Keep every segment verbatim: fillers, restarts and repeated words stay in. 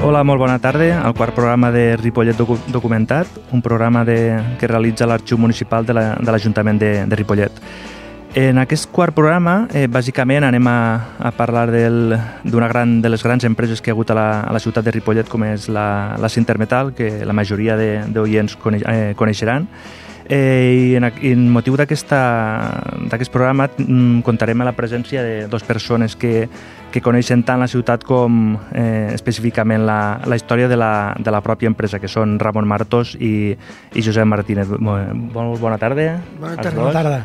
Hola, molt bona tarda. El quart programa de Ripollet Docu Documentat, un programa de, que realitza l'Arxiu Municipal de l'Ajuntament la, de, de Ripollet. En aquest quart programa, eh, bàsicament, anem a, a parlar d'una gran, de les grans empreses que hi ha hagut a la, a la ciutat de Ripollet, com és la, la Cintermetal, que la majoria d'oients coneix, eh, coneixeran. Eh, I en, en motiu d'aquest programa mm, contarem amb la presència de dues persones que, que coneixen tant la ciutat com eh, específicament la, la història de la, de la pròpia empresa, que són Ramon Martos i, i Josep Martínez. Molt, molt bona tarda. Bona tarda. Bona tarda.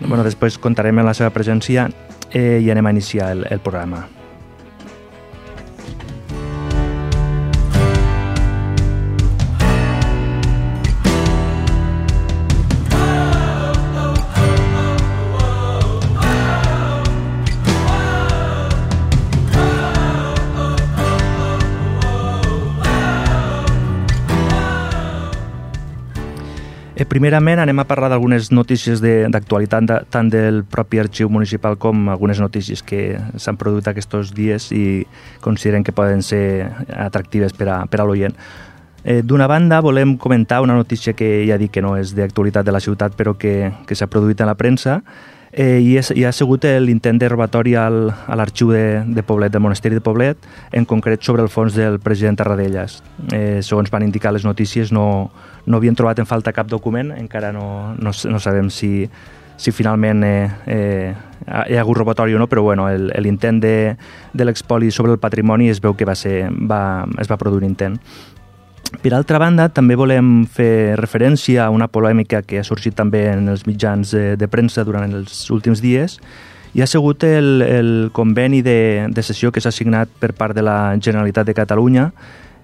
Bueno, després contarem amb la seva presència eh, i anem a iniciar el, el programa. Primerament anem a parlar d'algunes notícies d'actualitat de, tant del propi arxiu municipal com algunes notícies que s'han produït aquests dies i consideren que poden ser atractives per a, per a l'oient. Eh, D'una banda, volem comentar una notícia que ja dic que no és d'actualitat de la ciutat, però que, que s'ha produït en la premsa, eh, i, és, i ha sigut l'intent de robatori al, a l'arxiu de, de Poblet, del Monesteri de Poblet, en concret sobre el fons del president Tarradellas. Eh, segons van indicar les notícies, no no havien trobat en falta cap document, encara no, no, no sabem si, si finalment eh, eh, hi ha hagut robatori o no, però bueno, l'intent de, de l'expoli sobre el patrimoni es veu que va ser, va, es va produir un intent. Per altra banda, també volem fer referència a una polèmica que ha sorgit també en els mitjans de, de premsa durant els últims dies, i ha sigut el, el conveni de, de cessió que s'ha signat per part de la Generalitat de Catalunya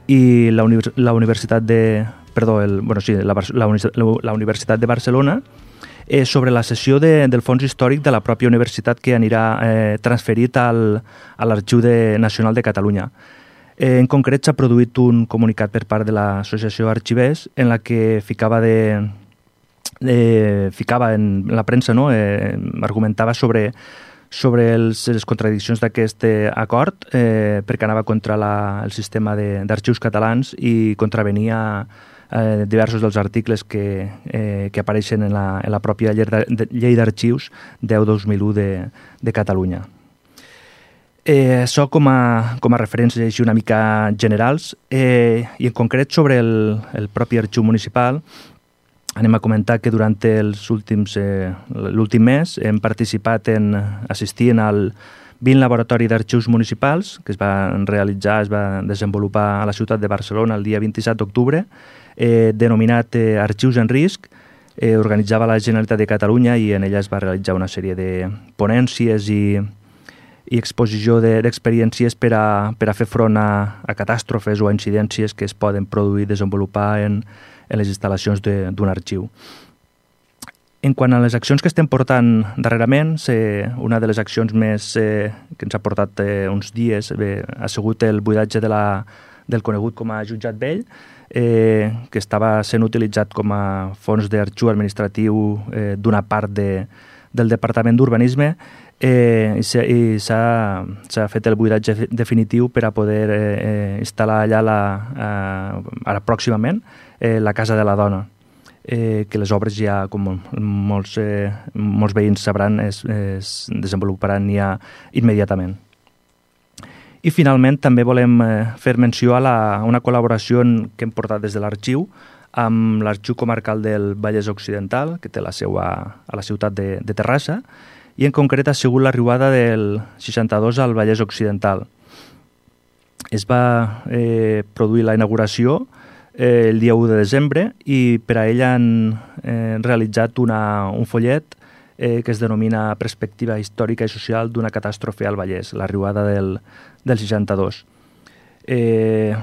i la, univers, la Universitat de perdó, el, bueno, sí, la, la, la Universitat de Barcelona eh, sobre la cessió de, del fons històric de la pròpia universitat que anirà eh, transferit al, a l'Arxiu Nacional de Catalunya. Eh, en concret, s'ha produït un comunicat per part de l'Associació Arxivers en la que ficava, de, de, ficava en la premsa, no? eh, argumentava sobre sobre els, les contradiccions d'aquest eh, acord eh, perquè anava contra la, el sistema d'arxius catalans i contravenia eh, diversos dels articles que, eh, que apareixen en la, en la pròpia llei d'arxius deu dos mil u de, de Catalunya. Eh, això com a, com a referències així una mica generals eh, i en concret sobre el, el propi arxiu municipal. Anem a comentar que durant els últims, eh, l'últim mes hem participat en assistir al vint laboratori d'arxius municipals que es va realitzar, es va desenvolupar a la ciutat de Barcelona el dia vint-i-set d'octubre, eh, denominat eh, Arxius en risc. Eh, organitzava la Generalitat de Catalunya i en ella es va realitzar una sèrie de ponències i, i exposició d'experiències de, per, a, per a fer front a, a catàstrofes o a incidències que es poden produir i desenvolupar en en les instal·lacions d'un arxiu. En quant a les accions que estem portant darrerament, eh, una de les accions més eh, que ens ha portat eh, uns dies eh, ha sigut el buidatge de la, del conegut com a jutjat vell, eh, que estava sent utilitzat com a fons d'arxiu administratiu eh, d'una part de, del Departament d'Urbanisme, eh, i s'ha fet el buidatge definitiu per a poder eh, instal·lar allà la, eh, ara pròximament eh, la Casa de la Dona, eh, que les obres ja, com molts, eh, molts veïns sabran, es, es desenvoluparan ja immediatament. I finalment també volem eh, fer menció a, la, a una col·laboració que hem portat des de l'arxiu amb l'Arxiu Comarcal del Vallès Occidental, que té la seu a, a la ciutat de, de Terrassa, i en concret ha sigut l'arribada del seixanta-dos al Vallès Occidental. Es va eh, produir la inauguració eh, el dia u de desembre i per a ella han eh, realitzat una, un follet eh, que es denomina Perspectiva històrica i social d'una catàstrofe al Vallès, l'arribada del, del seixanta-dos. Eh,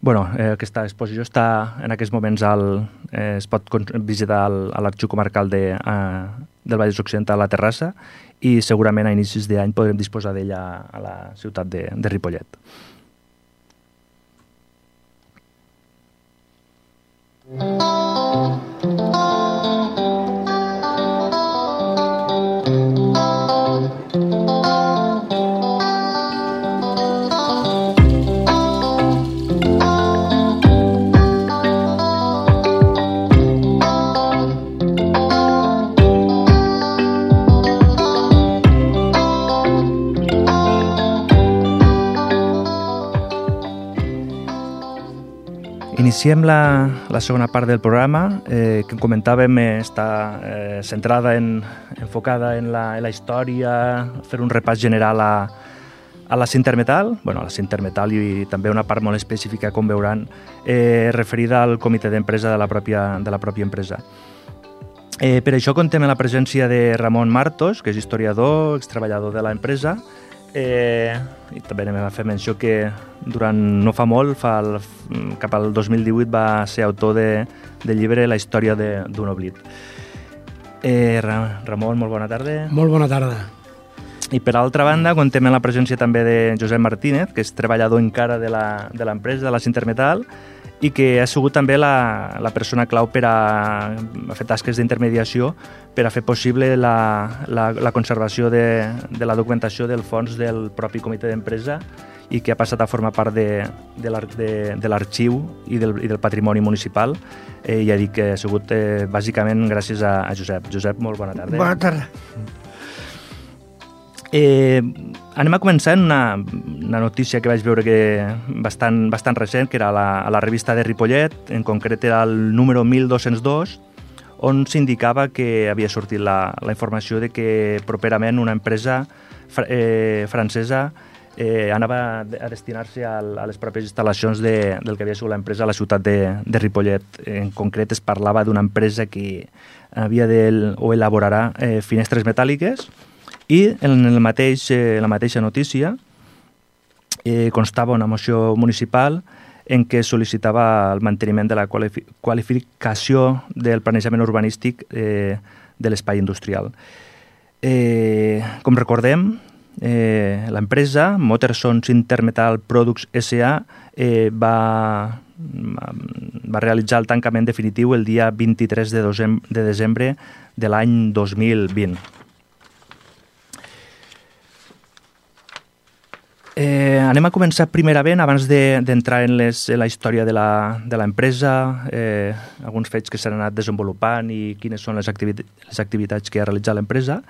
bueno, eh, aquesta exposició està en aquests moments al, eh, es pot visitar al, a l'Arxiu Comarcal de, a, del Vallès Occidental a Terrassa i segurament a inicis d'any podrem disposar d'ella a la ciutat de, de Ripollet. iniciem la, la segona part del programa, eh, que comentàvem eh, està eh, centrada, en, enfocada en la, en la història, fer un repàs general a, a la Sintermetal, bueno, a la Sintermetal i també una part molt específica, com veuran, eh, referida al comitè d'empresa de la pròpia, de la pròpia empresa. Eh, per això contem amb la presència de Ramon Martos, que és historiador, extreballador de l'empresa, eh, i també anem a fer menció que durant no fa molt, fa el, cap al dos mil divuit, va ser autor de, del llibre La història d'un oblit. Eh, Ramon, molt bona tarda. Molt bona tarda. I per altra banda, contem amb la presència també de Josep Martínez, que és treballador encara de l'empresa, de la Sintermetal, i que ha sigut també la, la persona clau per a, a fer tasques d'intermediació per a fer possible la, la, la conservació de, de la documentació del fons del propi comitè d'empresa i que ha passat a formar part de, de l'arxiu i, del, i del patrimoni municipal. Eh, ja dic que ha sigut eh, bàsicament gràcies a, a Josep. Josep, molt bona tarda. Bona tarda. Eh, anem a començar en una, una notícia que vaig veure que bastant, bastant recent, que era a la, a la revista de Ripollet, en concret era el número mil dos-cents dos, on s'indicava que havia sortit la, la informació de que properament una empresa eh, francesa eh, anava a destinar-se a, a les pròpies instal·lacions de, del que havia sigut l'empresa a la ciutat de, de Ripollet. En concret es parlava d'una empresa que havia de, o elaborarà eh, finestres metàl·liques. I en el mateix, eh, la mateixa notícia eh, constava una moció municipal en què sol·licitava el manteniment de la qualifi qualificació del planejament urbanístic eh, de l'espai industrial. Eh, com recordem, eh, l'empresa Motherson Sintermetal Products S A eh, va, va realitzar el tancament definitiu el dia vint-i-tres de desembre de l'any dos mil vint. Eh, anem a començar primerament, abans d'entrar de, en, en la història de l'empresa, eh, alguns fets que s'han anat desenvolupant i quines són les, activi les activitats que ha realitzat l'empresa.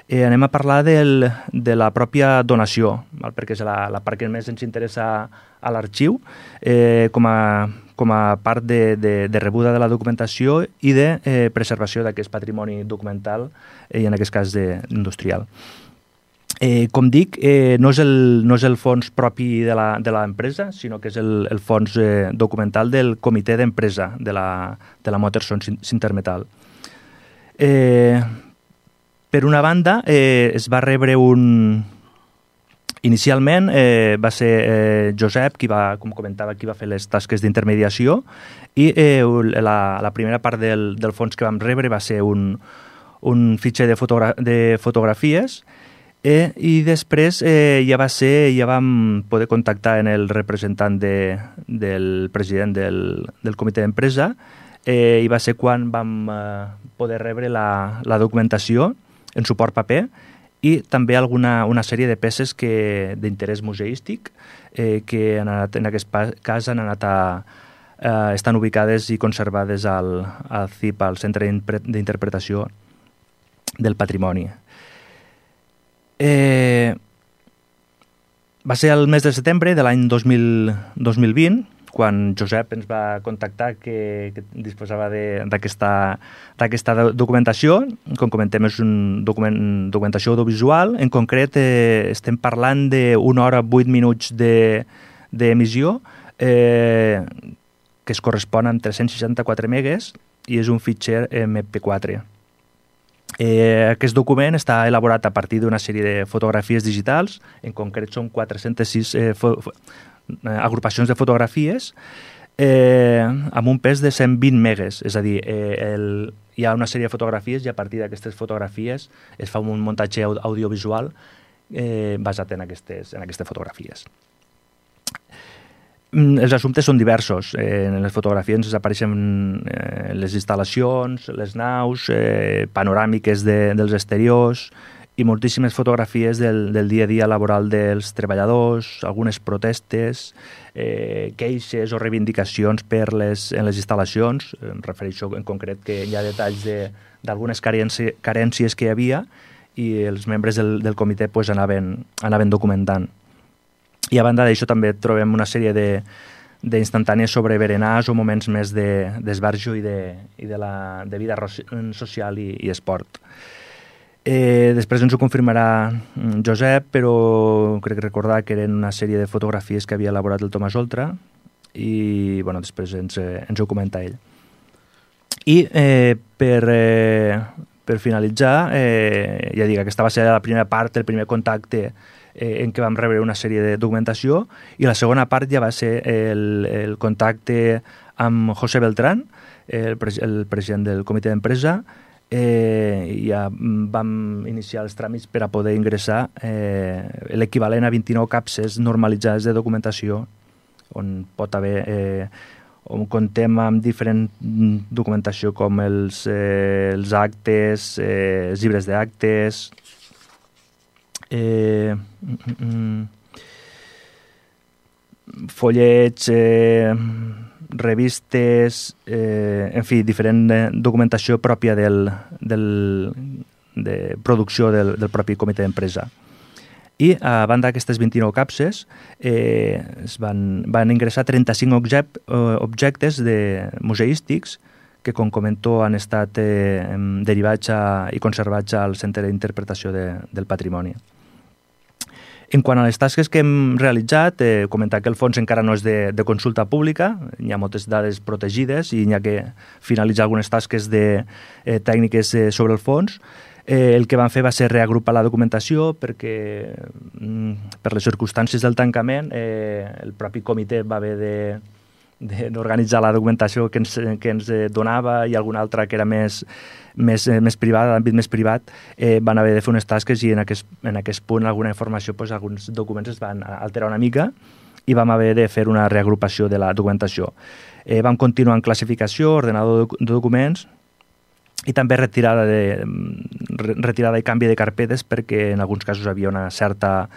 Eh, anem a parlar del, de la pròpia donació, val? Perquè és la, la part que més ens interessa a l'arxiu, eh, com, a, com a part de, de, de rebuda de la documentació i de eh, preservació d'aquest patrimoni documental, eh, i en aquest cas de, industrial. Eh, com dic, eh, no, és el, no és el fons propi de l'empresa, sinó que és el, el fons eh, documental del comitè d'empresa de la, de la Motherson Sintermetal. Eh, per una banda, eh, es va rebre un... Inicialment eh, va ser eh, Josep, qui va, com comentava, qui va fer les tasques d'intermediació, i eh, la, la primera part del, del fons que vam rebre va ser un, un fitxer de, fotogra de fotografies. Eh, I després eh, ja va ser, ja vam poder contactar en el representant de, del president del, del comitè d'empresa, eh, i va ser quan vam eh, poder rebre la, la documentació en suport paper i també alguna una sèrie de peces d'interès museístic eh, que han anat, en aquest cas han anat a, eh, estan ubicades i conservades al, al C I P, al Centre d'Interpretació del Patrimoni. Eh, va ser el mes de setembre de l'any dos mil vint quan Josep ens va contactar que, que disposava d'aquesta documentació. Com comentem, és una document, documentació audiovisual. En concret, eh, estem parlant d'una hora vuit minuts d'emissió eh, que es correspon amb tres-cents seixanta-quatre megues i és un fitxer eme pe quatre. Eh, aquest document està elaborat a partir d'una sèrie de fotografies digitals, en concret són quatre-centes sis eh, agrupacions de fotografies eh, amb un pes de cent vint megues, és a dir, eh, el, hi ha una sèrie de fotografies i a partir d'aquestes fotografies es fa un muntatge audiovisual eh, basat en aquestes, en aquestes fotografies. Els assumptes són diversos. Eh, en les fotografies ens apareixen eh, les instal·lacions, les naus, eh, panoràmiques de, dels exteriors i moltíssimes fotografies del, del dia a dia laboral dels treballadors, algunes protestes, eh, queixes o reivindicacions per les, en les instal·lacions. Em refereixo en concret que hi ha detalls d'algunes de, carències que hi havia i els membres del, del comitè pues, anaven, anaven documentant. I a banda d'això també trobem una sèrie de, d'instantànies sobre berenars o moments més d'esbarjo i, de, i de, la, de vida social i, i esport. Eh, després ens ho confirmarà Josep, però crec recordar que eren una sèrie de fotografies que havia elaborat el Tomàs Oltra i bueno, després ens, ens ho comenta ell. I eh, per, eh, per finalitzar, eh, ja dic, aquesta va ser la primera part, el primer contacte eh, en què vam rebre una sèrie de documentació, i la segona part ja va ser el, el contacte amb José Beltrán, el, el president del comitè d'empresa. Eh, ja vam iniciar els tràmits per a poder ingressar eh, l'equivalent a vint-i-nou capses normalitzades de documentació, on pot haver, eh, on contem amb diferent documentació com els, eh, els actes, eh, els llibres d'actes, eh, mm, mm, follets, eh, revistes, eh, en fi, diferent eh, documentació pròpia del, del, de producció del, del propi comitè d'empresa. I a banda d'aquestes vint-i-nou capses eh, es van, van ingressar trenta-cinc object, eh, objectes de museístics que, com comento, han estat eh, derivats a, i conservats al Centre d'Interpretació de, del Patrimoni. En quant a les tasques que hem realitzat, eh, comentar que el fons encara no és de, de consulta pública, hi ha moltes dades protegides i hi ha que finalitzar algunes tasques de, eh, tècniques eh, sobre el fons. Eh, el que vam fer va ser reagrupar la documentació perquè, mm, per les circumstàncies del tancament, eh, el propi comitè va haver de d'organitzar la documentació que ens, que ens donava i alguna altra que era més, més, més privada, d'àmbit més privat, eh, van haver de fer unes tasques i en aquest, en aquest punt alguna informació, doncs, alguns documents es van alterar una mica i vam haver de fer una reagrupació de la documentació. Eh, vam continuar en classificació, ordenador de documents i també retirada, de, retirada i canvi de carpetes perquè en alguns casos havia una certa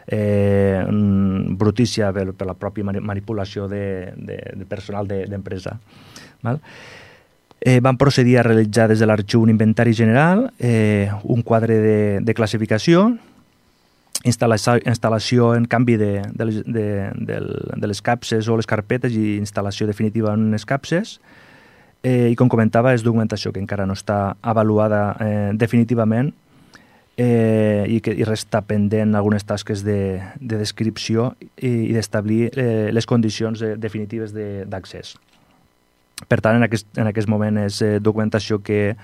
Eh, brutícia per, per la pròpia manipulació de, de, de personal d'empresa. De, eh, vam procedir a realitzar des de l'arxiu un inventari general, eh, un quadre de, de classificació, instal·lació, instal·lació en canvi de, de, les, de, de, de les capses o les carpetes i instal·lació definitiva en les capses. Eh, I com comentava, és documentació que encara no està avaluada eh, definitivament Eh, i que i resta pendent algunes tasques de, de descripció i, i d'establir eh, les condicions de, definitives d'accés. Per tant, en aquest, en aquest moment és eh, documentació que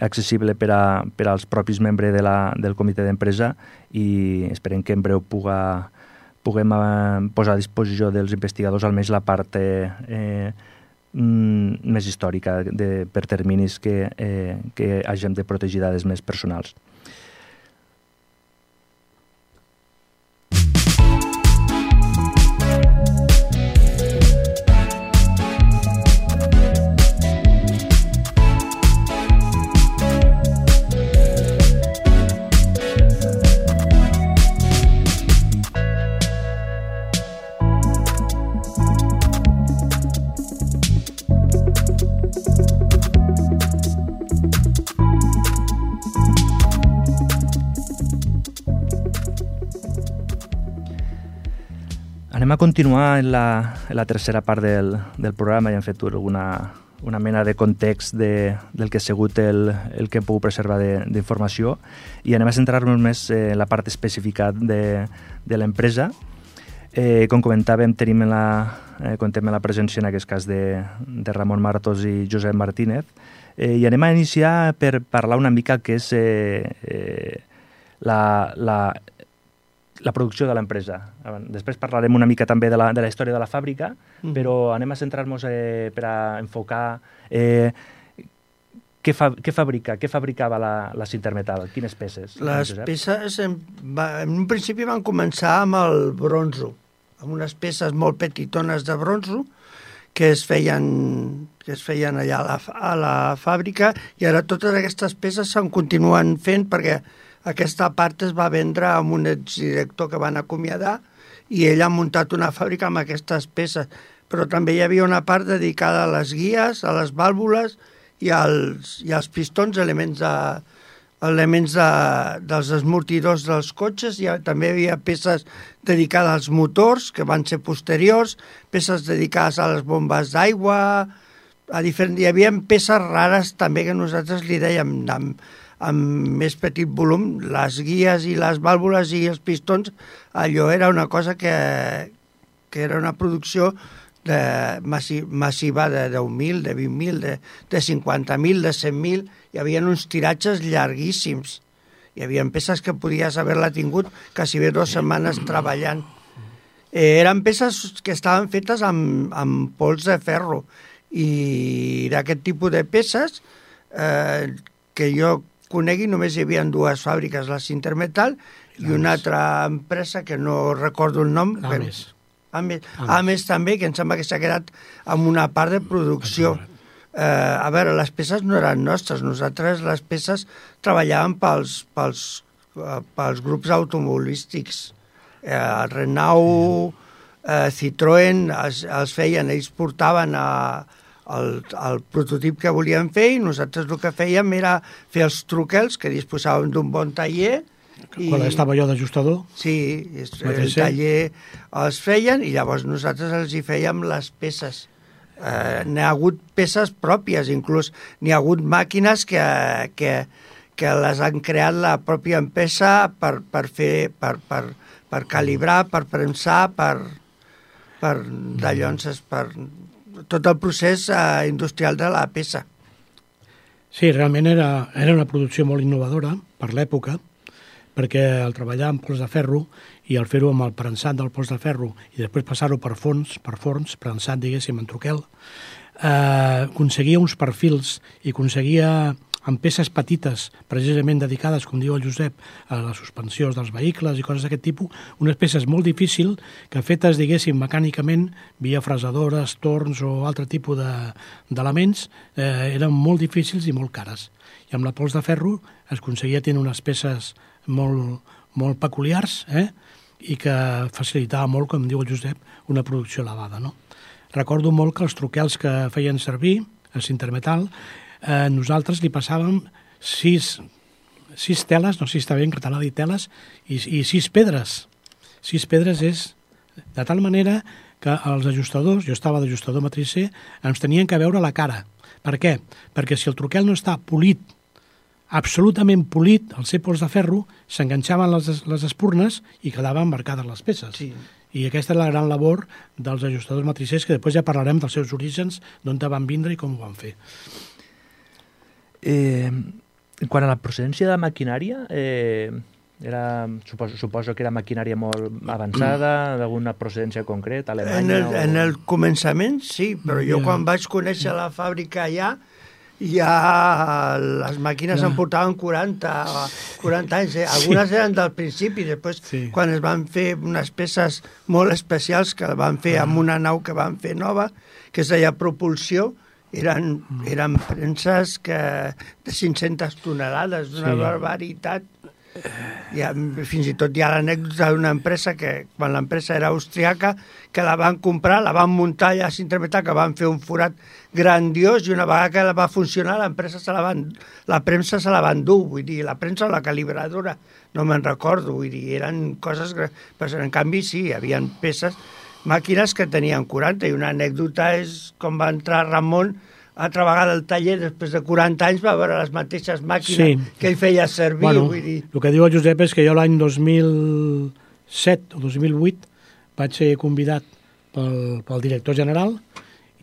accessible per, a, per als propis membres de la, del comitè d'empresa i esperem que en breu puga, puguem eh, posar a disposició dels investigadors almenys la part eh, eh, més històrica de, per terminis que, eh, que hagin de protegir dades més personals. Anem a continuar en la, en la tercera part del, del programa i hem fet alguna, una mena de context de, del que ha sigut el, el que hem pogut preservar d'informació i anem a centrar-nos més en la part específica de, de l'empresa. Eh, com comentàvem, tenim en la, eh, contem en la presència en aquest cas de, de Ramon Martos i Josep Martínez eh, i anem a iniciar per parlar una mica que és eh, eh, la... la la producció de l'empresa. Després parlarem una mica també de la, de la història de la fàbrica, mm. però anem a centrar-nos eh, per a enfocar eh, què, fa, què fabrica, què fabricava la, la Sintermetal, quines peces? Les peces, en, va, en un principi van començar amb el bronzo, amb unes peces molt petitones de bronzo que es feien, que es feien allà a la, a la fàbrica i ara totes aquestes peces se'n continuen fent perquè aquesta part es va vendre amb un exdirector que van acomiadar i ell ha muntat una fàbrica amb aquestes peces. Però també hi havia una part dedicada a les guies, a les vàlvules i als, i als pistons, elements de, elements de, dels esmortidors dels cotxes, hi ha, també hi havia peces dedicades als motors, que van ser posteriors, peces dedicades a les bombes d'aigua, a diferent, hi havia peces rares també que nosaltres li dèiem amb, amb més petit volum, les guies i les vàlvules i els pistons, allò era una cosa que, que era una producció de massi, massiva de deu mil, de vint mil, de, de cinquanta mil, de cent mil. Hi havia uns tiratges llarguíssims. Hi havia peces que podies haver-la tingut quasi bé dues setmanes treballant. Eh, eren peces que estaven fetes amb, amb pols de ferro i d'aquest tipus de peces eh, que jo conegui només hi havia dues fàbriques, la Sintermetal i una altra empresa que no recordo el nom. Ames. Ames, Ames també, que em sembla que s'ha quedat amb una part de producció. Eh, a veure, les peces no eren nostres, nosaltres les peces treballàvem pels, pels, eh, pels grups automobilístics. Eh, el Renault, eh, Citroën, els, els feien, ells portaven a, el, el prototip que volien fer i nosaltres el que fèiem era fer els truquels, que disposàvem d'un bon taller. Quan I, estava jo d'ajustador? Sí, el taller els feien i llavors nosaltres els hi fèiem les peces. Eh, n'hi ha hagut peces pròpies, inclús n'hi ha hagut màquines que, que, que les han creat la pròpia empresa per, per fer, per, per, per calibrar, per premsar, per, per dallonses, per tot el procés eh, industrial de la peça. Sí, realment era, era una producció molt innovadora per l'època, perquè el treballar amb pols de ferro i el fer-ho amb el prensat del pols de ferro i després passar-ho per forns, per forns, prensat, diguéssim, en troquel, eh, aconseguia uns perfils i aconseguia amb peces petites, precisament dedicades, com diu el Josep, a les suspensions dels vehicles i coses d'aquest tipus, unes peces molt difícils que fetes, diguéssim, mecànicament, via fresadores, torns o altre tipus d'elements, de, eh, eren molt difícils i molt cares. I amb la pols de ferro es aconseguia tenir unes peces molt, molt peculiars, eh? I que facilitava molt, com diu el Josep, una producció elevada, no? Recordo molt que els truquels que feien servir, a Sintermetal, eh, nosaltres li passàvem sis, sis teles, no sé si està bé en català dir teles, i, i sis pedres. Sis pedres és de tal manera que els ajustadors, jo estava d'ajustador matricer, ens tenien que veure la cara. Per què? Perquè si el truquel no està polit, absolutament polit, el ser pols de ferro, s'enganxaven les, les espurnes i quedaven embarcades les peces. Sí. I aquesta és la gran labor dels ajustadors matricers, que després ja parlarem dels seus orígens, d'on van vindre i com ho van fer. Eh, quant a la procedència de maquinària, eh, era, suposo, suposo que era maquinària molt avançada, d'alguna procedència concreta, alemanya? En el, o... en el començament sí, però jo quan vaig conèixer la fàbrica allà, ja les màquines em portaven quaranta, quaranta anys, eh? Algunes eren del principi, després sí. Quan es van fer unes peces molt especials que van fer amb una nau que van fer nova, que es deia propulsió, eren, eren premses que, de cinc-centes tonelades, d'una sí. barbaritat. Hi ha, fins i tot hi ha l'anècdota d'una empresa que, quan l'empresa era austriaca, que la van comprar, la van muntar allà a Sintermetal, que van fer un forat grandiós i una vegada que la va funcionar l'empresa se la van, la premsa se la van dur, vull dir, la premsa o la calibradora, no me'n recordo, vull dir, eren coses... Però en canvi sí, hi havia peces, màquines que tenien quaranta, i una anècdota és com va entrar Ramon altra vegada al taller, després de quaranta anys, va veure les mateixes màquines sí. que ell feia servir. Bueno, vull dir. El que diu el Josep és que jo l'any dos mil set o dos mil vuit vaig ser convidat pel, pel director general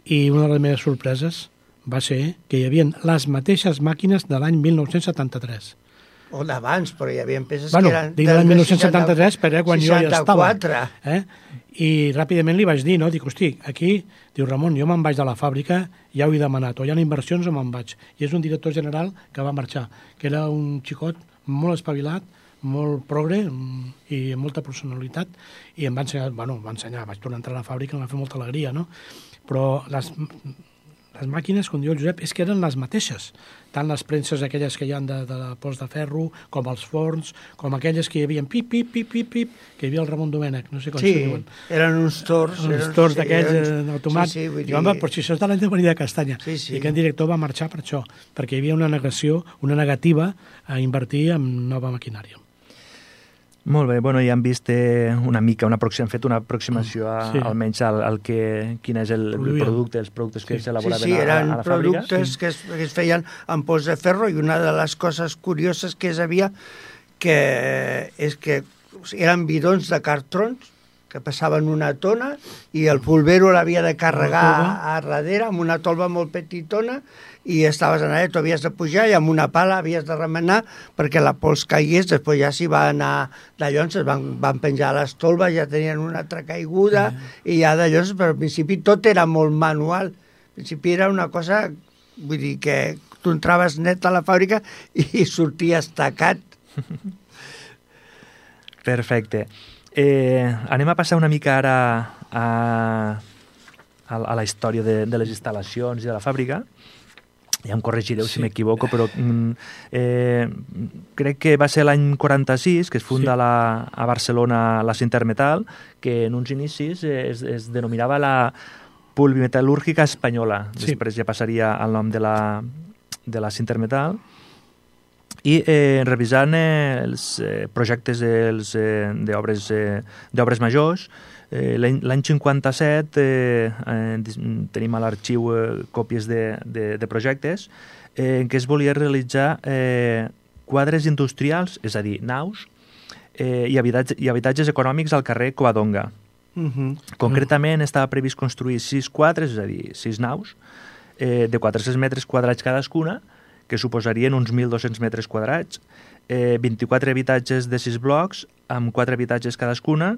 i una de les meves sorpreses va ser que hi havia les mateixes màquines de l'any mil nou-cents setanta-tres. O d'abans, però hi havia peces bueno, que eren... Dic de l'any mil nou-cents setanta-tres, però quan seixanta-quatre. jo ja estava. Eh? I ràpidament li vaig dir, no? Dic, hosti, aquí, diu Ramon, jo me'n vaig de la fàbrica, ja ho he demanat, o hi ha inversions o me'n vaig. I és un director general que va marxar, que era un xicot molt espavilat, molt progre i amb molta personalitat, i em va ensenyar, bueno, em va ensenyar, vaig tornar a entrar a la fàbrica, em va fer molta alegria, no? Però les, les màquines, com diu el Josep, és que eren les mateixes. Tant les premses aquelles que hi ha de, de la pols de ferro, com els forns, com aquelles que hi havia pip, pip, pip, pip, pip, que hi havia el Ramon Domènech, no sé com sí, se diuen. eren uns tors. Uns eren, tors sí, d'aquells eren... automàtics. Sí, sí, vull dir... I, home, però si això és de l'any de Maria de Castanya. Sí, sí. I aquest director va marxar per això, perquè hi havia una negació, una negativa a invertir en nova maquinària. Molt bé, bueno, ja hem vist eh, una mica, una hem fet una aproximació a, sí. almenys al, al que, quin és el, el producte, els productes que sí. s'elaboraven sí, sí, a, a la fàbrica. Sí, eren productes que es, que es feien amb pols de ferro i una de les coses curioses que és havia que és que eren bidons de cartrons que passaven una tona i el polvero l'havia de carregar a darrere amb una tolva molt petitona i estaves en allà, tu havies de pujar i amb una pala havies de remenar perquè la pols caigués, després ja s'hi va anar d'allò, es van, van penjar les tolves, ja tenien una altra caiguda mm. i ja d'allò, però al principi tot era molt manual, al principi era una cosa, vull dir que tu entraves net a la fàbrica i sorties tacat. Perfecte. Eh, anem a passar una mica ara a, a, a la història de, de les instal·lacions i de la fàbrica. Ja em corregireu sí. si m'equivoco, però eh, crec que va ser l'any quaranta-sis que es funda sí. la, a Barcelona la Sintermetal, que en uns inicis es, es denominava la Pulvimetal·lúrgica Espanyola. Sí. Després ja passaria al nom de la, de la Sintermetal. I eh, revisant eh, els eh, projectes els, eh, d'obres eh, d'obres majors, eh, l'any cinquanta-set eh, eh, tenim a l'arxiu eh, còpies de, de, de projectes eh, en què es volia realitzar eh, quadres industrials, és a dir, naus, eh, i, habitatge, i habitatges econòmics al carrer Covadonga. Uh-huh. Concretament estava previst construir sis quadres, és a dir, sis naus, eh, de quatre-cents metres quadrats cadascuna, que suposarien uns mil dos-cents metres quadrats, eh, vint-i-quatre habitatges de sis blocs, amb quatre habitatges cadascuna,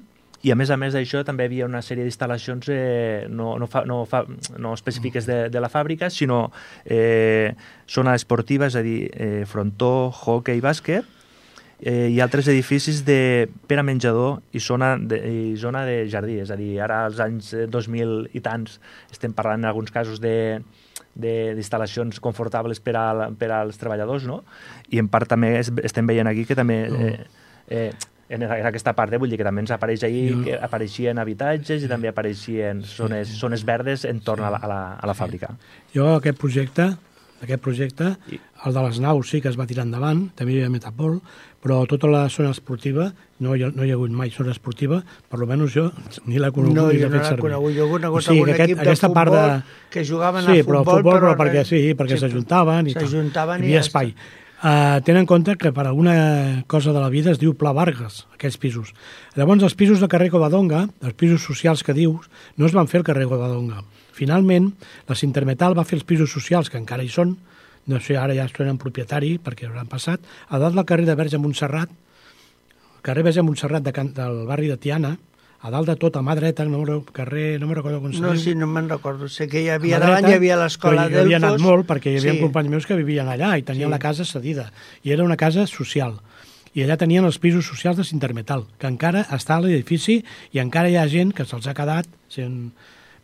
i a més a més d'això també hi havia una sèrie d'instal·lacions eh, no, no, fa, no, fa, no específiques de, de la fàbrica, sinó eh, zona esportiva, és a dir, eh, frontó, hockey i bàsquet, eh, i altres edificis de, per a menjador i zona, de, i zona de jardí, és a dir, ara als anys dos mil i tants estem parlant en alguns casos de d'instal·lacions confortables per, a, per als treballadors, no? I en part també es, estem veient aquí que també eh, eh, en aquesta part, eh, vull dir que també ens apareix ahí no. que apareixien habitatges i també apareixien zones, zones verdes entorn a la, a la, a la fàbrica. Jo aquest projecte, aquest projecte, el de les naus sí que es va tirar endavant, també hi havia Metapol, però tota la zona esportiva, no hi ha, no hi ha hagut mai zona esportiva, per almenys jo ni l'he conegut no, ni l'he no fet servir. Conegut. Jo he conegut o sigui, algun aquest, equip de futbol de... que jugaven sí, a futbol, però, futbol, però, però perquè sí, perquè s'ajuntaven i tal. S'ajuntaven i hi havia espai. Uh, tenen en compte que per alguna cosa de la vida es diu Pla Vargas, aquests pisos. Llavors, els pisos del carrer Covadonga, els pisos socials que dius, no es van fer al carrer Covadonga. Finalment, la Sintermetal va fer els pisos socials, que encara hi són, no sé, ara ja són en propietari, perquè hauran passat, a dalt del carrer de Verge Montserrat, el carrer Verge Montserrat de Can, del barri de Tiana, a dalt de tot, a mà dreta, no, carrer, no me'n recordo com se no, diu. Sí, no me'n recordo. Sé que hi havia, davant dreta, hi havia l'escola Delfos. Jo havia anat molt perquè hi havia sí. companys meus que vivien allà i tenien sí. la casa cedida. I era una casa social. I allà tenien els pisos socials de Sintermetal, que encara està a l'edifici i encara hi ha gent que se'ls ha quedat. Sent...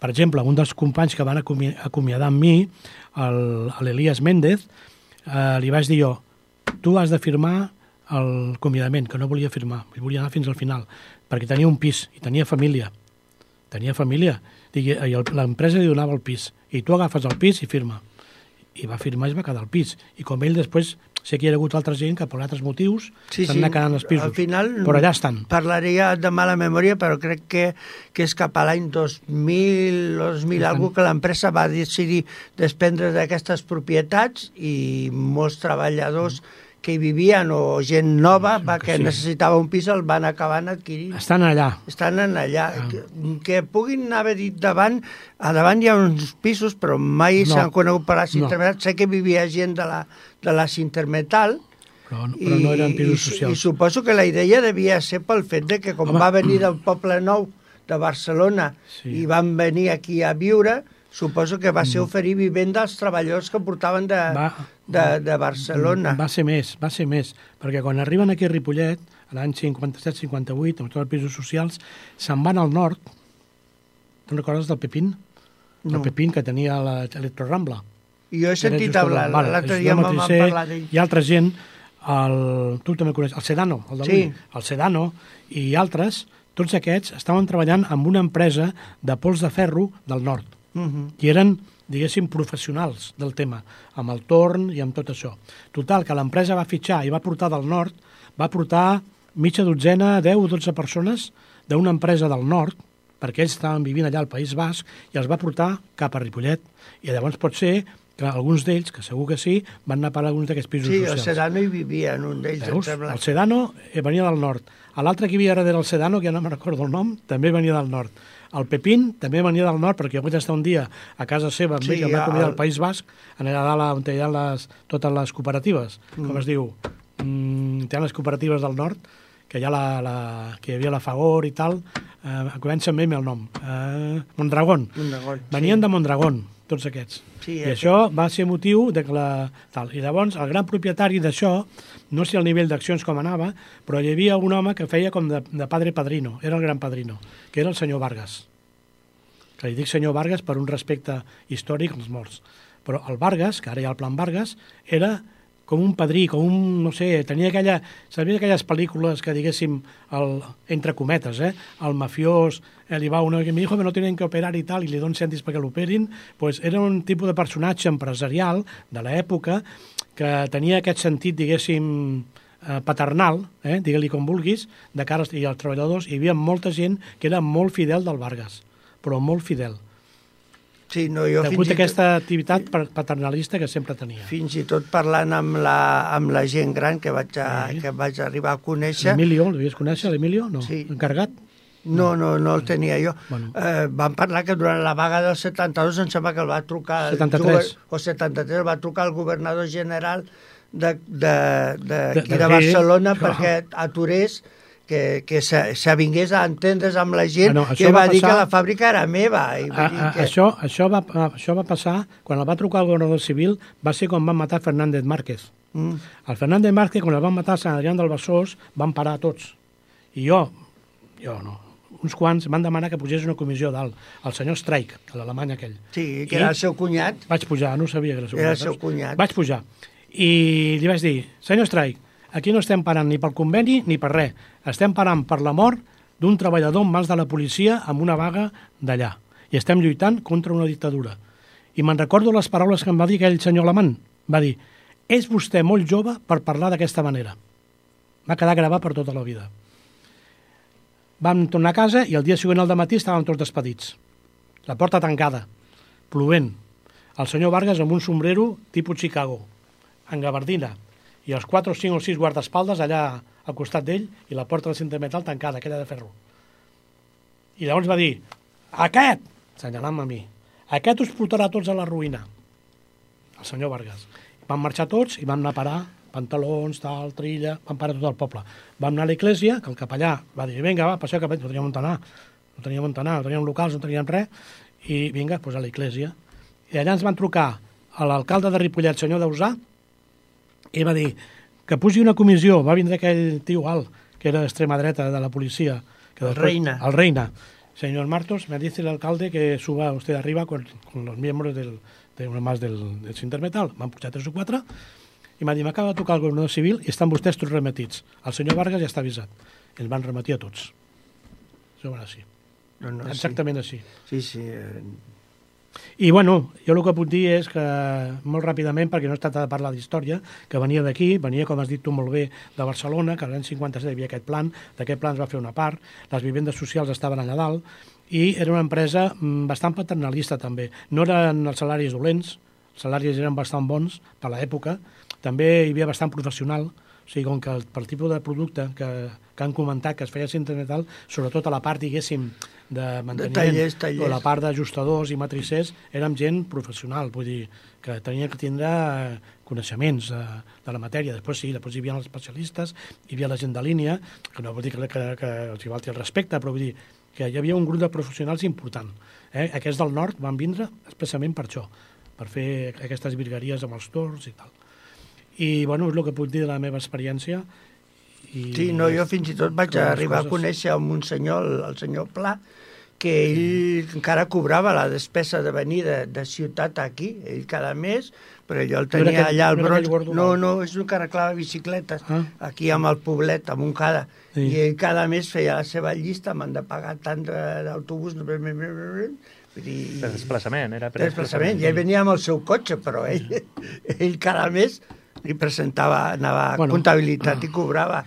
Per exemple, un dels companys que van acomi acomiadar amb mi, l'Elias Méndez, eh, li vaig dir jo, tu has de firmar el acomiadament, que no volia firmar, volia anar fins al final, perquè tenia un pis i tenia família. Tenia família. I l'empresa li donava el pis. I tu agafes el pis i firma. I va firmar i es va quedar al pis. I com ell després, sé que hi ha hagut altra gent que per altres motius sí, s'han sí. anat quedant els pisos. Al final, però allà estan. Parlaria de mala memòria, però crec que, que és cap a l'any dos mil o dos mil algú que l'empresa va decidir desprendre d'aquestes propietats i molts treballadors mm. que hi vivien o gent nova sí, va, que, que sí. necessitava un pis el van acabant adquirint. Estan allà. Estan allà. Ah. Que, que puguin haver dit davant, a davant hi ha uns pisos, però mai no. s'han conegut per la Sintermetal. No. Sé que vivia gent de la, de la Sintermetal, però, però no eren pisos socials. I, I suposo que la idea devia ser pel fet de que com Home. va venir del Poble Nou de Barcelona sí. i van venir aquí a viure, suposo que va ser oferir vivenda als treballadors que portaven de, va, de, de Barcelona. Va ser més, va ser més, perquè quan arriben aquí a Ripollet, l'any cinquanta-set cinquanta-vuit, amb tots els pisos socials, se'n van al nord. Te'n recordes del Pepín? no. el Pepín, que tenia l'Electrorambla. I jo he sentit hablar, vale, l'altre dia m'han parlat d'ell. Hi ha altra gent, el, tu també coneixes, el Sedano, el d'avui, sí. el Sedano i altres, tots aquests estaven treballant amb una empresa de pols de ferro del nord, uh -huh. i eren, diguéssim, professionals del tema, amb el torn i amb tot això. Total, que l'empresa va fitxar i va portar del nord, va portar mitja dotzena, deu o dotze persones d'una empresa del nord, perquè ells estaven vivint allà al País Basc, i els va portar cap a Ripollet. I llavors pot ser que alguns d'ells, que segur que sí, van anar a parar alguns d'aquests pisos sí, socials. Sí, el Sedano hi vivia en un d'ells. Veus? El Sedano venia del nord. L'altre que hi havia darrere del Sedano, que ja no me'n recordo el nom, també venia del nord. El Pepín també venia del nord, perquè jo vaig estar un dia a casa seva amb sí, ell, amb la comunitat del País Basc, allà dalt on hi ha les, totes les cooperatives, mm. com es diu, mm, hi ha les cooperatives del nord, que hi, ha la, la, que hi havia la Fagor i tal, eh, comença amb el nom, eh, Mondragón. Mondragón. Venien sí. de Mondragón, tots aquests. Sí, I això va ser motiu de que la... Tal. I llavors, el gran propietari d'això, no sé el nivell d'accions com anava, però hi havia un home que feia com de, de padre padrino, era el gran padrino, que era el senyor Vargas. Que li dic senyor Vargas per un respecte històric als morts. Però el Vargas, que ara hi ha el plan Vargas, era com un padrí, com un, no sé, tenia aquella... Sabia aquelles pel·lícules que, diguéssim, el, entre cometes, eh? El mafiós, eh, li va uno que me dijo que no tenen que operar i tal, i li donen cèntims perquè l'operin, pues era un tipus de personatge empresarial de l'època que tenia aquest sentit, diguéssim, eh, paternal, eh? digue-li com vulguis, de cara als, i als treballadors. Hi havia molta gent que era molt fidel del Vargas, però molt fidel. Sí, no, jo Degut a aquesta activitat paternalista que sempre tenia. Fins i tot parlant amb la, amb la gent gran que vaig, a, sí. que vaig arribar a conèixer... L'Emilio, l'havies conèixer, l'Emilio? No. Sí. Encarregat? No, no, no el tenia jo. Bueno. Eh, van parlar que durant la vaga del setanta-dos em sembla que el va trucar... setanta-tres. O setanta-tres, el va trucar el governador general de, de, de, de, de, de Barcelona que... perquè aturés que, que s'avingués a entendre's amb la gent, ah, no, que va, va dir passar... que la fàbrica era meva. I a, a, que... això, això, va, això va passar, quan el va trucar el governador civil, va ser quan van matar Fernández Márquez. Mm. El Fernández Márquez, quan el van matar a Sant Adrià del Besòs, van parar tots. I jo, jo no, uns quants van demanar que pugés una comissió dalt, el senyor Streich, l'alemany aquell. Sí, que I era el seu cunyat. Vaig pujar, no sabia que era el seu era cunyat. Era el seu cunyat. Vaig pujar. I li vaig dir, senyor Streich, aquí no estem parant ni pel conveni ni per res. Estem parant per la mort d'un treballador en mans de la policia amb una vaga d'allà. I estem lluitant contra una dictadura. I me'n recordo les paraules que em va dir aquell senyor alemany. Va dir, és vostè molt jove per parlar d'aquesta manera. Va quedar gravat per tota la vida. Vam tornar a casa i el dia següent al dematí estàvem tots despedits. La porta tancada, plovent. El senyor Vargas amb un sombrero tipus Chicago, en gabardina, i els quatre o cinc o sis guardaespaldes allà al costat d'ell i la porta del cinta de metal tancada, aquella de ferro. I llavors va dir, aquest, senyalant a mi, aquest us portarà tots a la ruïna. El senyor Vargas. Van marxar tots i van anar a parar pantalons, tal, trilla, van parar tot el poble. Vam anar a l'església, que el capellà va dir, vinga, va, passeu cap, no teníem on anar, no teníem on anar, no teníem locals, no teníem res, i vinga, doncs a l'església. I allà ens van trucar a l'alcalde de Ripollet, senyor Dausà, i va dir que pugi una comissió. Va vindre aquell tio alt, que era d'extrema dreta de la policia. Que el después, Reina. El Reina. Señor Martos, me dice el alcalde que suba usted arriba con, con los miembros del, de una más del, del Sintermetal. Van pujar tres o quatre i m'ha dit, m'acaba de tocar el governador civil i estan vostès tots remetits. El senyor Vargas ja està avisat. I ens van rematir a tots. Això va així. No, no, exactament sí. així. Sí, sí. Eh... I, bueno, jo el que puc dir és que, molt ràpidament, perquè no es tracta de parlar d'història, que venia d'aquí, venia, com has dit tu molt bé, de Barcelona, que l'any cinquanta-set hi havia aquest plan, d'aquest plan es va fer una part, les vivendes socials estaven allà dalt, i era una empresa bastant paternalista, també. No eren els salaris dolents, els salaris eren bastant bons per l'època, també hi havia bastant professional, o sigui, com que el, pel tipus de producte que, que han comentat que es feia a Sintermetal, sobretot a la part, diguéssim, de manteniment, de tallers, tallers. o la part d'ajustadors i matricers, érem gent professional, vull dir, que tenia que tindre coneixements de, de la matèria. Després sí, després hi havia els especialistes, hi havia la gent de línia, que no vol dir que, que, que els hi falti el respecte, però vull dir que hi havia un grup de professionals important. Eh? Aquests del nord van vindre expressament per això, per fer aquestes virgueries amb els torns i tal. I, bueno, és el que puc dir de la meva experiència. I sí, no, jo fins i tot vaig arribar coses... a conèixer amb un senyor, el, el senyor Pla, que ell encara cobrava la despesa de venir de, de ciutat aquí, ell cada mes, però ell el tenia no aquell, allà al no Bronx. No, no, és un que arreglava bicicletes, ah. aquí amb el poblet, a Montcada. Sí. I ell cada mes feia la seva llista, m'han de pagar tant d'autobús... Dir, per desplaçament, era per desplaçament. I ell venia amb el seu cotxe, però ell, ell cada mes li presentava, anava a bueno, comptabilitat i cobrava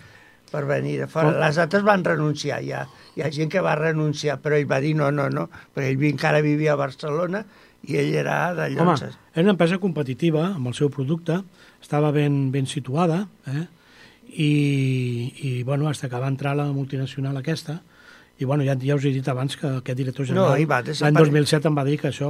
per venir de fora. Les altres van renunciar, hi ha, hi ha gent que va renunciar, però ell va dir no, no, no, perquè ell encara vivia a Barcelona i ell era de Llonses. Home, era una empresa competitiva amb el seu producte, estava ben, ben situada, eh? I, i bueno, fins que va entrar la multinacional aquesta, i bueno, ja, ja us he dit abans que aquest director general no, l'any dos mil set em va dir que això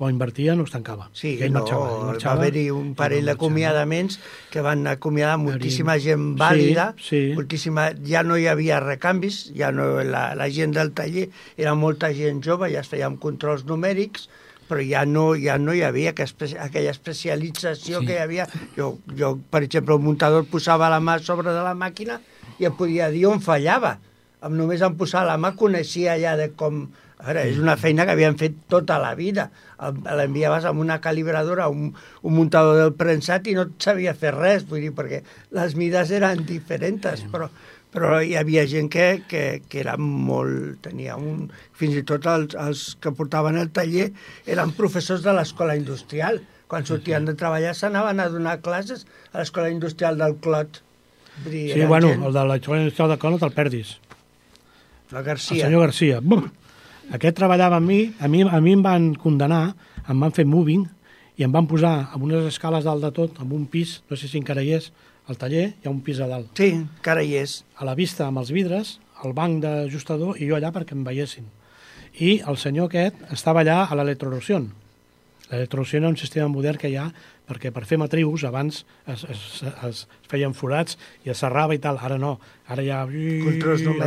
o invertia o es tancava. Sí, ell no, marxava, ell marxava, va haver-hi un parell no d'acomiadaments que van acomiadar moltíssima gent vàlida, sí, sí. moltíssima, ja no hi havia recanvis, ja no, la, la gent del taller era molta gent jove, ja es feien controls numèrics, però ja no, ja no hi havia aquella especialització sí. que hi havia. Jo, jo, per exemple, el muntador posava la mà sobre de la màquina i em podia dir on fallava. Amb només en posar la mà coneixia ja de com... A veure, és una feina que havien fet tota la vida. L'enviaves amb una calibradora, un, un muntador del prensat i no sabia fer res, vull dir, perquè les mides eren diferents, però, però hi havia gent que, que, que era molt... Tenia un... Fins i tot els, els que portaven el taller eren professors de l'escola industrial. Quan sortien de treballar s'anaven a donar classes a l'escola industrial del Clot. Dir, sí, bueno, gent... el de l'escola industrial del Clot no te'l perdis. La Garcia. El senyor Garcia. Bum! Aquest treballava amb mi, a mi, a mi em van condenar, em van fer moving i em van posar amb unes escales dalt de tot, amb un pis, no sé si encara hi és, al taller hi ha un pis a dalt. Sí, encara hi és. A la vista amb els vidres, el banc d'ajustador i jo allà perquè em veiessin. I el senyor aquest estava allà a l'electroerosió. L'electroerosió era un sistema modern que hi ha perquè per fer matrius abans es, es, es feien forats i es serrava i tal. Ara no, ara hi ha un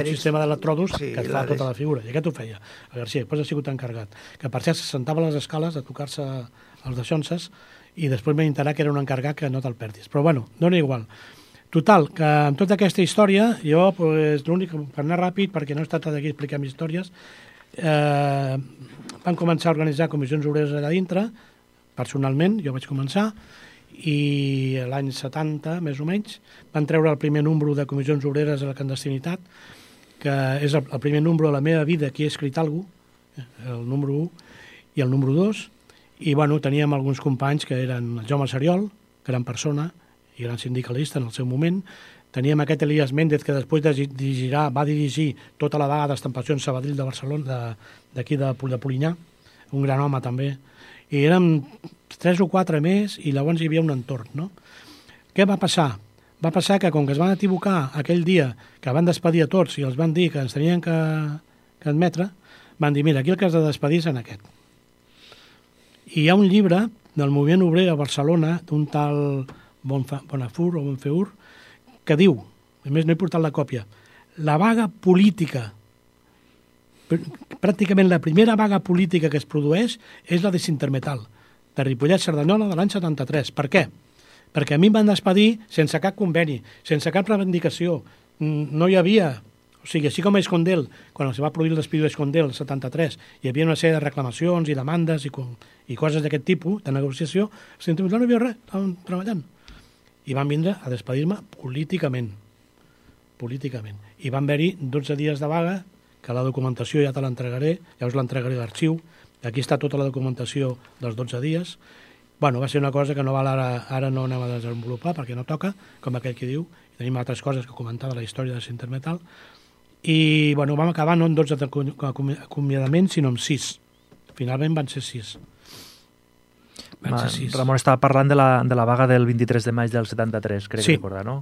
sistema d'electrodos sí, que et fa tota la figura. I aquest ho feia el Garcia, després ha sigut encarregat. Que per cert se sentava a les escales a tocar-se els deixonses i després m'he enterat que era un encarregat que no te'l perdis. Però bueno, dona igual. Total, que amb tota aquesta història, jo, pues, l'únic, per anar ràpid, perquè no he estat aquí explicant històries, eh, van començar a organitzar comissions obreres allà dintre, personalment, jo vaig començar, i l'any setanta, més o menys, van treure el primer número de comissions obreres a la clandestinitat, que és el, el primer número de la meva vida que he escrit alguna cosa, el número u i el número dos, i bueno, teníem alguns companys que eren el Jaume Seriol, gran persona i gran sindicalista en el seu moment, teníem aquest Elias Méndez que després de dirigirà, va dirigir tota la vaga d'estampació en Sabadell de Barcelona, d'aquí de, de, de Polinyà, un gran home també, i érem tres o quatre més i llavors hi havia un entorn, no? Què va passar? Va passar que com que es van equivocar aquell dia que van despedir a tots i els van dir que ens tenien que, que admetre, van dir, mira, aquí el que has de despedir és en aquest. I hi ha un llibre del moviment obrer a Barcelona d'un tal Bonafur o Bonfeur que diu, a més no he portat la còpia, la vaga política, pràcticament la primera vaga política que es produeix és la de Sintermetal, de Ripollet-Cerdanyola de l'any setanta-tres. Per què? Perquè a mi em van despedir sense cap conveni, sense cap reivindicació. No hi havia... O sigui, així com a Escondel, quan es va produir el despido d'Escondel el setanta-tres, hi havia una sèrie de reclamacions i demandes i, i coses d'aquest tipus, de negociació, a Sintermetal no hi havia res, estàvem treballant. I van vindre a despedir-me políticament. Políticament. I van haver-hi dotze dies de vaga, que la documentació ja te l'entregaré, ja us l'entregaré l'arxiu, aquí està tota la documentació dels dotze dies. Bueno, va ser una cosa que no val ara, ara no anem a desenvolupar perquè no toca, com aquell que diu, i tenim altres coses que comentar de la història de Sintermetal, i bueno, vam acabar no en dotze acomiadaments, sinó en sis. Finalment van ser sis. Van ser sis. Ramon estava parlant de la, de la vaga del vint-i-tres de maig del setanta-tres, crec sí. que recordar, no?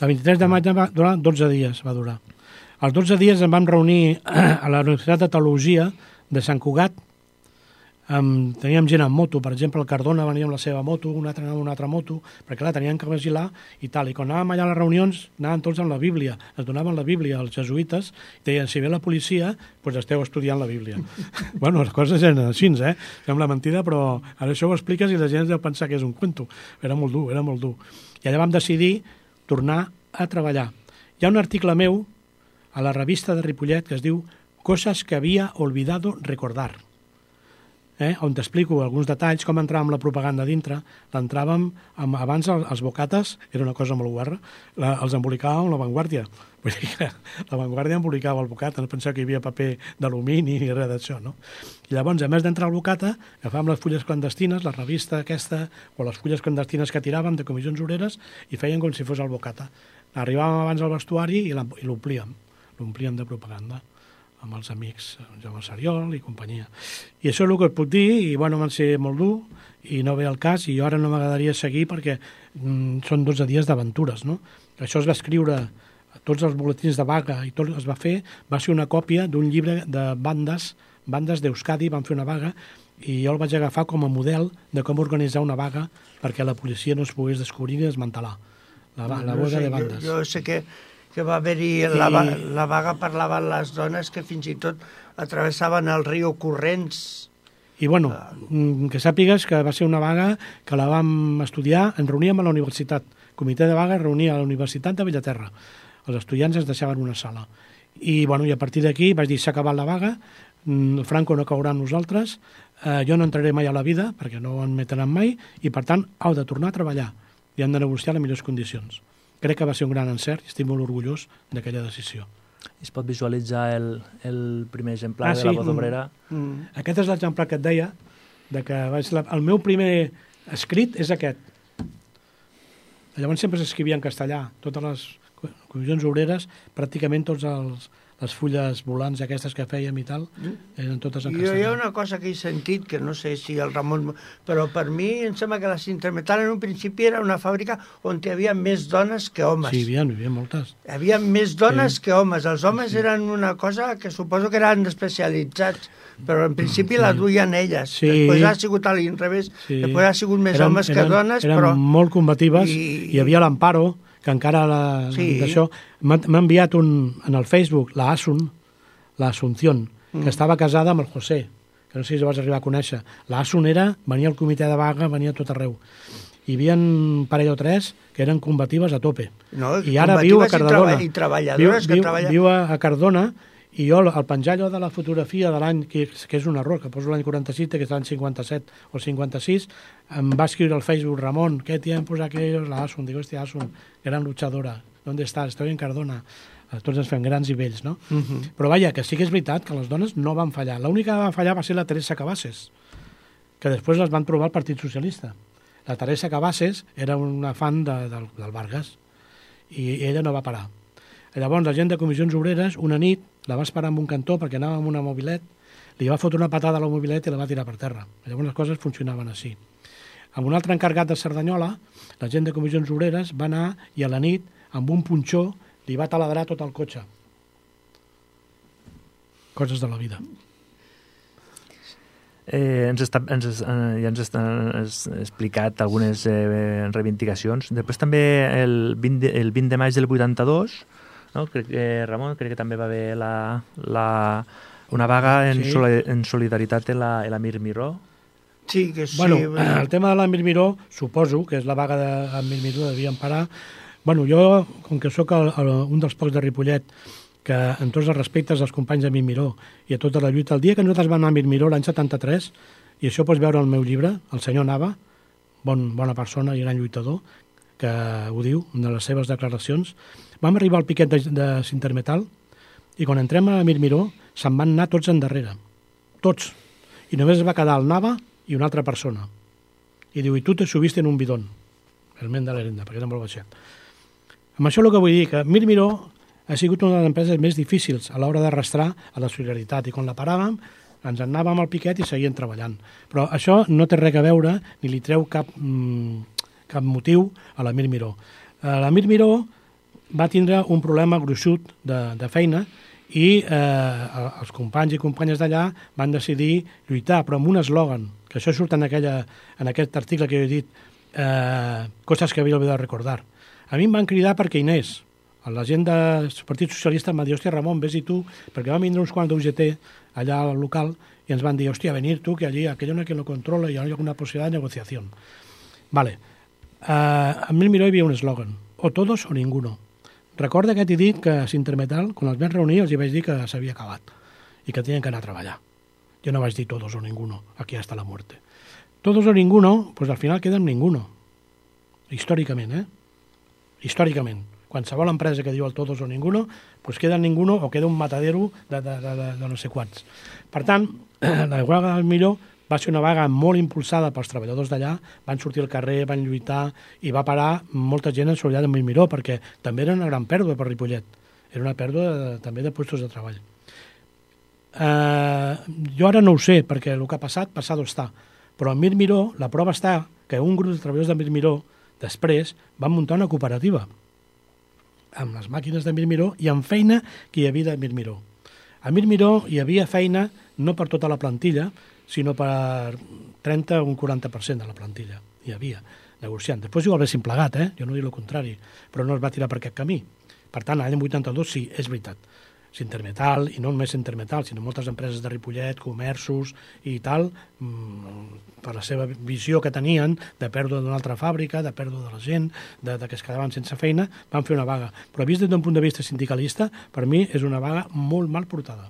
El vint-i-tres de maig va durar dotze dies, va durar. Els dotze dies ens vam reunir a la Universitat de Teologia de Sant Cugat. Um, teníem gent amb moto, per exemple, el Cardona venia amb la seva moto, un altre anava amb una altra moto, perquè clar, tenien que vigilar i tal. I quan anàvem allà a les reunions, anàvem tots amb la Bíblia, ens donaven la Bíblia als jesuïtes, i deien, si ve la policia, doncs esteu estudiant la Bíblia. Bueno, les coses eren així, eh? Sembla mentida, però ara això ho expliques i la gent deu pensar que és un cuento. Era molt dur, era molt dur. I allà vam decidir tornar a treballar. Hi ha un article meu a la revista de Ripollet que es diu coses que havia olvidado recordar. Eh? On t'explico alguns detalls, com entràvem la propaganda dintre. L'entràvem, amb, abans els, els bocates, era una cosa molt guarra, la, els embolicàvem amb la Vanguardia. Vull dir que la Vanguardia embolicava el bocata, no pensava que hi havia paper d'alumini ni res d'això, no? I llavors, a més d'entrar al bocata, agafàvem les fulles clandestines, la revista aquesta, o les fulles clandestines que tiràvem de comissions obreres, i feien com si fos el bocata. Arribàvem abans al vestuari i l'omplíem, l'omplíem de propaganda amb els amics, Jaume Sariol i companyia. I això és el que et puc dir, i bueno, van ser molt dur, i no ve el cas, i ara no m'agradaria seguir perquè mm, són dotze dies d'aventures, no? Això es va escriure, tots els boletins de vaga i tot es va fer, va ser una còpia d'un llibre de bandes, bandes d'Euskadi, van fer una vaga, i jo el vaig agafar com a model de com organitzar una vaga perquè la policia no es pogués descobrir ni desmantelar. La, la no, no vaga sé, de bandes. Jo, jo sé que que va haver-hi, la, la vaga parlaven les dones que fins i tot atravessaven el riu corrents. I bueno, que sàpigues que va ser una vaga que la vam estudiar, ens reuníem a la universitat. El comitè de vaga es reunia a la Universitat de Bellaterra. Els estudiants ens deixaven una sala. I, bueno, i a partir d'aquí vaig dir, s'ha acabat la vaga, el Franco no caurà amb nosaltres, eh, jo no entraré mai a la vida, perquè no ho admetaran mai, i per tant, heu de tornar a treballar i hem de negociar les millors condicions. Crec que va ser un gran encert i estic molt orgullós d'aquella decisió. Es pot visualitzar el, el primer exemplar ah, de sí? la Voz Obrera? Mm. Mm. Aquest és l'exemplar que et deia, de que vaig la... el meu primer escrit és aquest. Llavors sempre s'escrivia en castellà, totes les comissions obreres, pràcticament tots els, les fulles volants aquestes que fèiem i tal, eren totes en castellà. Jo hi ha una cosa que he sentit, que no sé si el Ramon... Però per mi em sembla que la Intermetal en un principi era una fàbrica on hi havia més dones que homes. Sí, hi havia, hi havia moltes. Hi havia més dones sí. que homes. Els homes sí. eren una cosa que suposo que eren especialitzats, però en principi sí. la duien elles. Sí. Després ha sigut a l'inrevés. Sí. Després ha sigut més eren, homes que eren, dones, eren però... Eren molt combatives. I... Hi havia l'Amparo, que encara la, sí. d'això m'ha enviat un, en el Facebook la Asun, la Asunción, mm. que estava casada amb el José, que no sé si vas arribar a conèixer. La Asun era, venia al comitè de vaga, venia a tot arreu. Hi havia un parell o tres que eren combatives a tope. No, I ara viu a Cardona. I treballadores viu, que treballen... Viu a, a Cardona, i jo al penjar allò de la fotografia de l'any, que, que és un error, que poso l'any quaranta-sis, que és l'any cinquanta-set o cinquanta-sis, em va escriure al Facebook, Ramon, ¿qué tiempos aquellos? La Asun, digo, hostia, Asun, gran luchadora, ¿dónde estás? Estoy en Cardona. Tots ens fem grans i vells, no? Uh -huh. Però vaja, que sí que és veritat que les dones no van fallar. L'única que va fallar va ser la Teresa Cabasses, que després les van trobar al Partit Socialista. La Teresa Cabasses era una fan de, del, del Vargas i ella no va parar. Llavors la gent de comissions obreres una nit la va esperar en un cantó perquè anava amb una mobilet, li va fotre una patada a la mobilet i la va tirar per terra. Llavors les coses funcionaven així. Amb un altre encarregat de Cerdanyola, la gent de comissions obreres va anar i a la nit, amb un punxó, li va taladrar tot el cotxe. Coses de la vida. Eh, ens està, ens, eh, ja ens has explicat algunes eh, reivindicacions. Després també el vint de, el vint de maig del vuitanta-dos, no? Crec que, Ramon, crec que també va haver la, la, una vaga en, sí. soli, en solidaritat en la, en la Mir Miró. Sí, que sí. Bueno, el tema de l'Amir Miró, suposo que és la vaga d'Amir Miró, devien parar. Bueno, jo, com que sóc el, el, un dels pocs de Ripollet, que en tots els respectes als companys d'Amir Miró i a tota la lluita, el dia que nosaltres vam anar a Amir Miró l'any setanta-tres, i això pots veure al meu llibre, el senyor Nava, bon, bona persona i gran lluitador, que ho diu, en les seves declaracions, vam arribar al piquet de, de Sintermetal i quan entrem a Amir Miró se'n van anar tots endarrere, tots, i només es va quedar el Nava i una altra persona. I diu, i tu te subiste en un bidón, el ment de l'Herenda, perquè era molt baixet. Amb això el que vull dir, que Mir Miró ha sigut una de les empreses més difícils a l'hora d'arrastrar a la solidaritat, i quan la paràvem ens anàvem al piquet i seguien treballant. Però això no té res a veure ni li treu cap, mmm, cap motiu a la Mir Miró. La Mir Miró va tindre un problema gruixut de, de feina i eh, els companys i companyes d'allà van decidir lluitar, però amb un eslògan, que això surt en, aquella, en aquest article que jo he dit, eh, coses que havia oblidat recordar. A mi em van cridar perquè Inés, la gent del Partit Socialista, em va dir, hòstia, Ramon, vés-hi tu, perquè van vindre uns quants d'U G T allà al local i ens van dir, hòstia, venir tu, que allí aquello no hay quien lo controla y hay alguna posibilidad de negociación. Vale. Uh, a Mir Miró hi havia un eslògan, o todos o ninguno. Recorda que t'he dit que a Sintermetal, quan els vam reunir, els hi vaig dir que s'havia acabat i que tenien que anar a treballar. Jo no vaig dir todos o ninguno, aquí hasta la muerte. Todos o ninguno, pues al final queda en ninguno. Històricament, eh? Històricament. Qualsevol empresa que diu el todos o ninguno, pues queda en ninguno o queda un matadero de, de, de, de, de no sé quants. Per tant, la vaga del Miró va ser una vaga molt impulsada pels treballadors d'allà, van sortir al carrer, van lluitar i va parar molta gent en solidaritat amb el Miró, perquè també era una gran pèrdua per Ripollet. Era una pèrdua de, també de llocs de treball. Uh, jo ara no ho sé, perquè el que ha passat, passat està. Però a Mir Miró, la prova està que un grup de treballadors de Mir Miró després van muntar una cooperativa amb les màquines de Mir Miró i amb feina que hi havia de Mir Miró. A Mir Miró hi havia feina no per tota la plantilla, sinó per trenta o un quaranta per cent de la plantilla. Hi havia, negociant. Després ho haguessin plegat, eh? Jo no dic el contrari, però no es va tirar per aquest camí. Per tant, l'any vuitanta-dos sí, és veritat. Sintermetal, i no només Sintermetal, sinó moltes empreses de Ripollet, comerços i tal, per la seva visió que tenien de pèrdua d'una altra fàbrica, de pèrdua de la gent, de, de que es quedaven sense feina, van fer una vaga. Però vist des d'un punt de vista sindicalista, per mi és una vaga molt mal portada.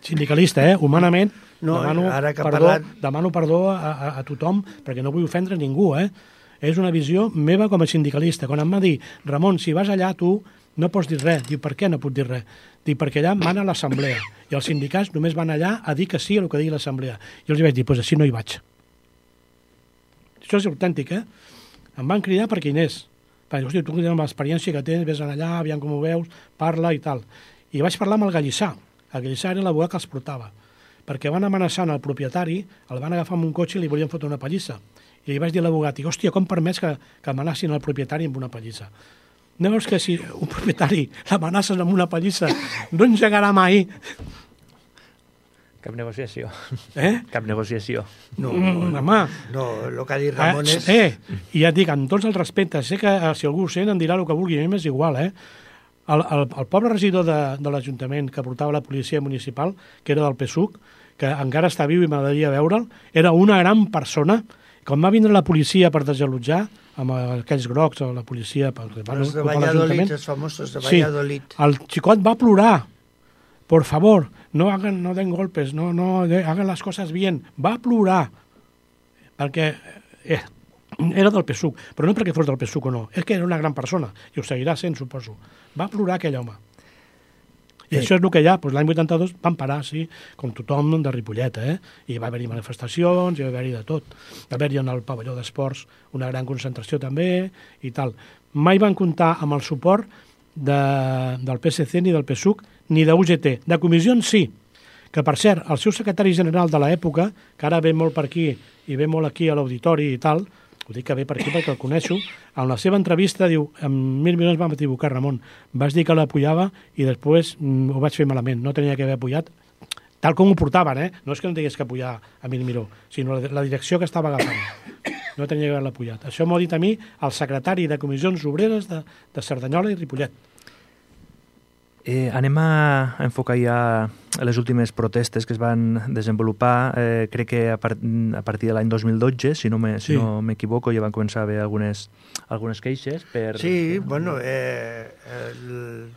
Sindicalista, eh? Humanament, no, demano, ara que perdó, parlat... demano perdó a, a, a tothom, perquè no vull ofendre ningú, eh? És una visió meva com a sindicalista. Quan em va dir, Ramon, si vas allà tu no pots dir res. Diu, per què no puc dir res? Diu, perquè allà mana l'assemblea i els sindicats només van allà a dir que sí a el que digui l'assemblea. I els vaig dir, doncs pues així no hi vaig. Això és autèntic, eh? Em van cridar perquè hi anés. Perquè, hosti, tu amb l'experiència que tens, vés allà, aviam com ho veus, parla i tal. I vaig parlar amb el Gallissà. El Gallissà era l'abogat que els portava. Perquè van amenaçant el propietari, el van agafar amb un cotxe i li volien fotre una pallissa. I li vaig dir a l'abogat, hòstia, com permets que, que amenacin el propietari amb una pallissa? No veus que si un propietari l'amenaces amb una pallissa no engegarà mai? Cap negociació. Eh? Cap negociació. No, mm, home. No, el que ha dit Ramon és... Eh, i ja et dic, amb tots els respectes, sé que eh, si algú ho sent em dirà el que vulgui, a mi m'és igual, eh? El, el, el pobre regidor de, de l'Ajuntament que portava la policia municipal, que era del P S U C, que encara està viu i m'agradaria veure'l, era una gran persona. Quan va vindre la policia per desallotjar, amb aquells grocs, la policia... Per, els de Valladolid, els famosos de Valladolid. Sí, el xicot va plorar. Por favor, no hagan, no den golpes, no, no hagan las cosas bien. Va plorar. Perquè eh, era del P S U C, però no perquè fos del P S U C o no, és que era una gran persona, i ho seguirà sent, suposo. Va plorar aquell home. I sí. Això és el que hi ha. Doncs l'any vuitanta-dos van parar, sí, com tothom de Ripollet, eh? I va haver-hi manifestacions, i va haver-hi de tot. Va haver-hi en el pavelló d'esports una gran concentració també, i tal. Mai van comptar amb el suport de, del P S C ni del P S U C, ni de U G T. De comissions sí, que per cert, el seu secretari general de l'època, que ara ve molt per aquí i ve molt aquí a l'auditori i tal, ho dic que ve per aquí perquè el coneixo, en la seva entrevista diu, amb Mir Miró ens vam equivocar, Ramon, vas dir que l'apujava i després mm, ho vaig fer malament, no tenia que haver apujat, tal com ho portaven, eh? No és que no tingués que apujar a Mir Miró, sinó la, la direcció que estava agafant. No tenia que haver-la apujat. Això m'ho ha dit a mi el secretari de Comissions Obreres de, de Cerdanyola i Ripollet. Eh, anem a enfocar ja les últimes protestes que es van desenvolupar. Eh, crec que a, part, a partir de l'any dos mil dotze, si no m'equivoco, sí. no ja van començar a haver algunes, algunes queixes. Per... Sí, bueno, eh, el,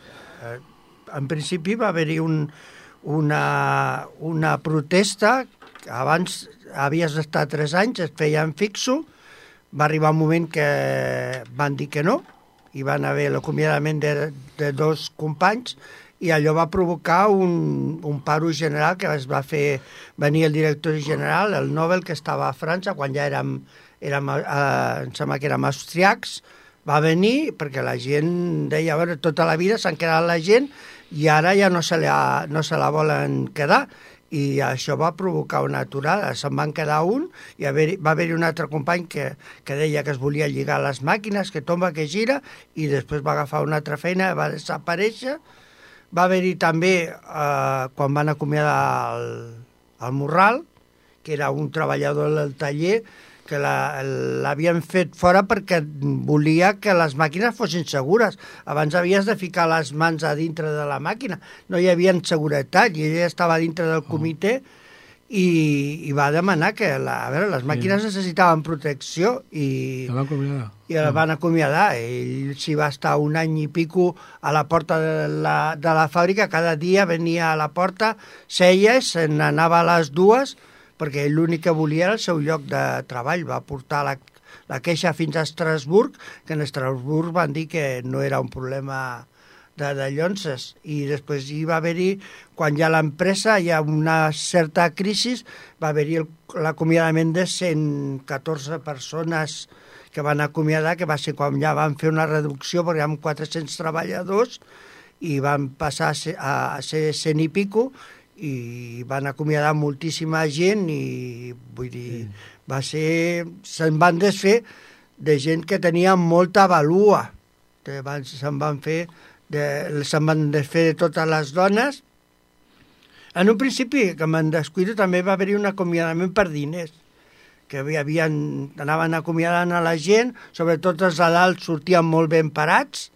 eh, en principi va haver-hi un, una, una protesta, abans havies d'estar tres anys, es feien fixo, va arribar un moment que van dir que no, i van haver l'acomiadament de, de dos companys i allò va provocar un, un paro general que es va fer venir el director general, el Nobel, que estava a França, quan ja érem, érem eh, em sembla que érem austriacs, va venir perquè la gent deia, a veure, tota la vida s'han quedat la gent i ara ja no se la, no se la volen quedar. I això va provocar una aturada, se'n van quedar un i haver, va haver-hi un altre company que, que deia que es volia lligar les màquines, que tomba, que gira, i després va agafar una altra feina, va desaparèixer. Va haver-hi també, eh, quan van acomiadar el, el Morral, que era un treballador del taller, que l'havien la, fet fora perquè volia que les màquines fossin segures. Abans havies de ficar les mans a dintre de la màquina. No hi havia seguretat i ella estava dintre del comitè i, i va demanar que la, a veure, les màquines sí. necessitaven protecció i, la van acomiadar. i la van acomiadar. Ell s'hi va estar un any i pico a la porta de la, de la fàbrica, cada dia venia a la porta, seia, se n'anava a les dues, perquè ell l'únic que volia era el seu lloc de treball. Va portar la, la queixa fins a Estrasburg, que en Estrasburg van dir que no era un problema de, de llonces, i després hi va haver-hi, quan ja l'empresa hi ha una certa crisi, va haver-hi l'acomiadament de cent catorze persones que van acomiadar, que va ser quan ja van fer una reducció, perquè hi ha quatre-cents treballadors, i van passar a ser, a ser cent i pico, i van acomiadar moltíssima gent, i vull dir, sí. va ser... se'n van desfer de gent que tenia molta valua, que van, se'n van fer... De, se'n van desfer de totes les dones. En un principi, que me'n descuido, també va haver-hi un acomiadament per diners, que havien, anaven acomiadant a la gent, sobretot els de dalt sortien molt ben parats,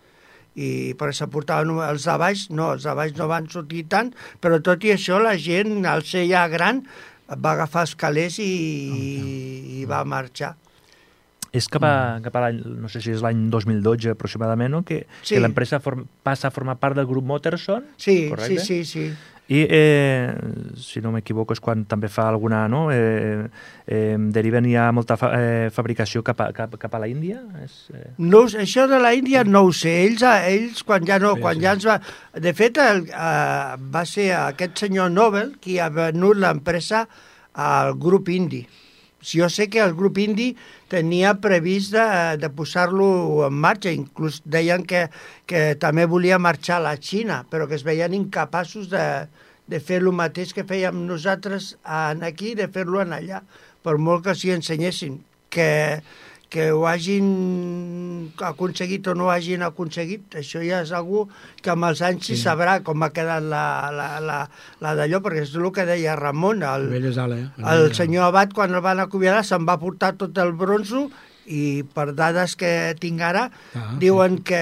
i perquè s'aportaven els de baix, no, els de baix no van sortir tant, però tot i això la gent, al ser ja gran, va agafar els calés i, i, i va marxar. És cap a, cap a l'any, no sé si és l'any dos mil dotze aproximadament, no? que, sí. que l'empresa form, passa a formar part del grup Motterson, sí, correcte? Sí, sí, sí. I, eh, si no m'equivoco, és quan també fa alguna... No? Eh, eh, deriven ja molta fa, eh, fabricació cap a, cap, cap a la Índia? És, eh... no, això de la Índia no ho sé. Ells, ells quan ja no... Sí, quan sí. ja ens va... De fet, el, uh, va ser aquest senyor Nobel qui ha venut l'empresa al grup indi. Jo sé que el grup indi tenia previst de, de posar-lo en marxa, inclús deien que, que també volia marxar a la Xina, però que es veien incapaços de, de fer el mateix que fèiem nosaltres aquí, de fer-lo en allà, per molt que s'hi ensenyessin. Que, que ho hagin aconseguit o no ho hagin aconseguit, això ja és algú que amb els anys sí. sabrà com ha quedat la, la, la, la d'allò, perquè és el que deia Ramon, el, el, el senyor Abat, quan el van acomiadar, se'n va portar tot el bronzo, i per dades que tinc ara, ah, diuen sí. que,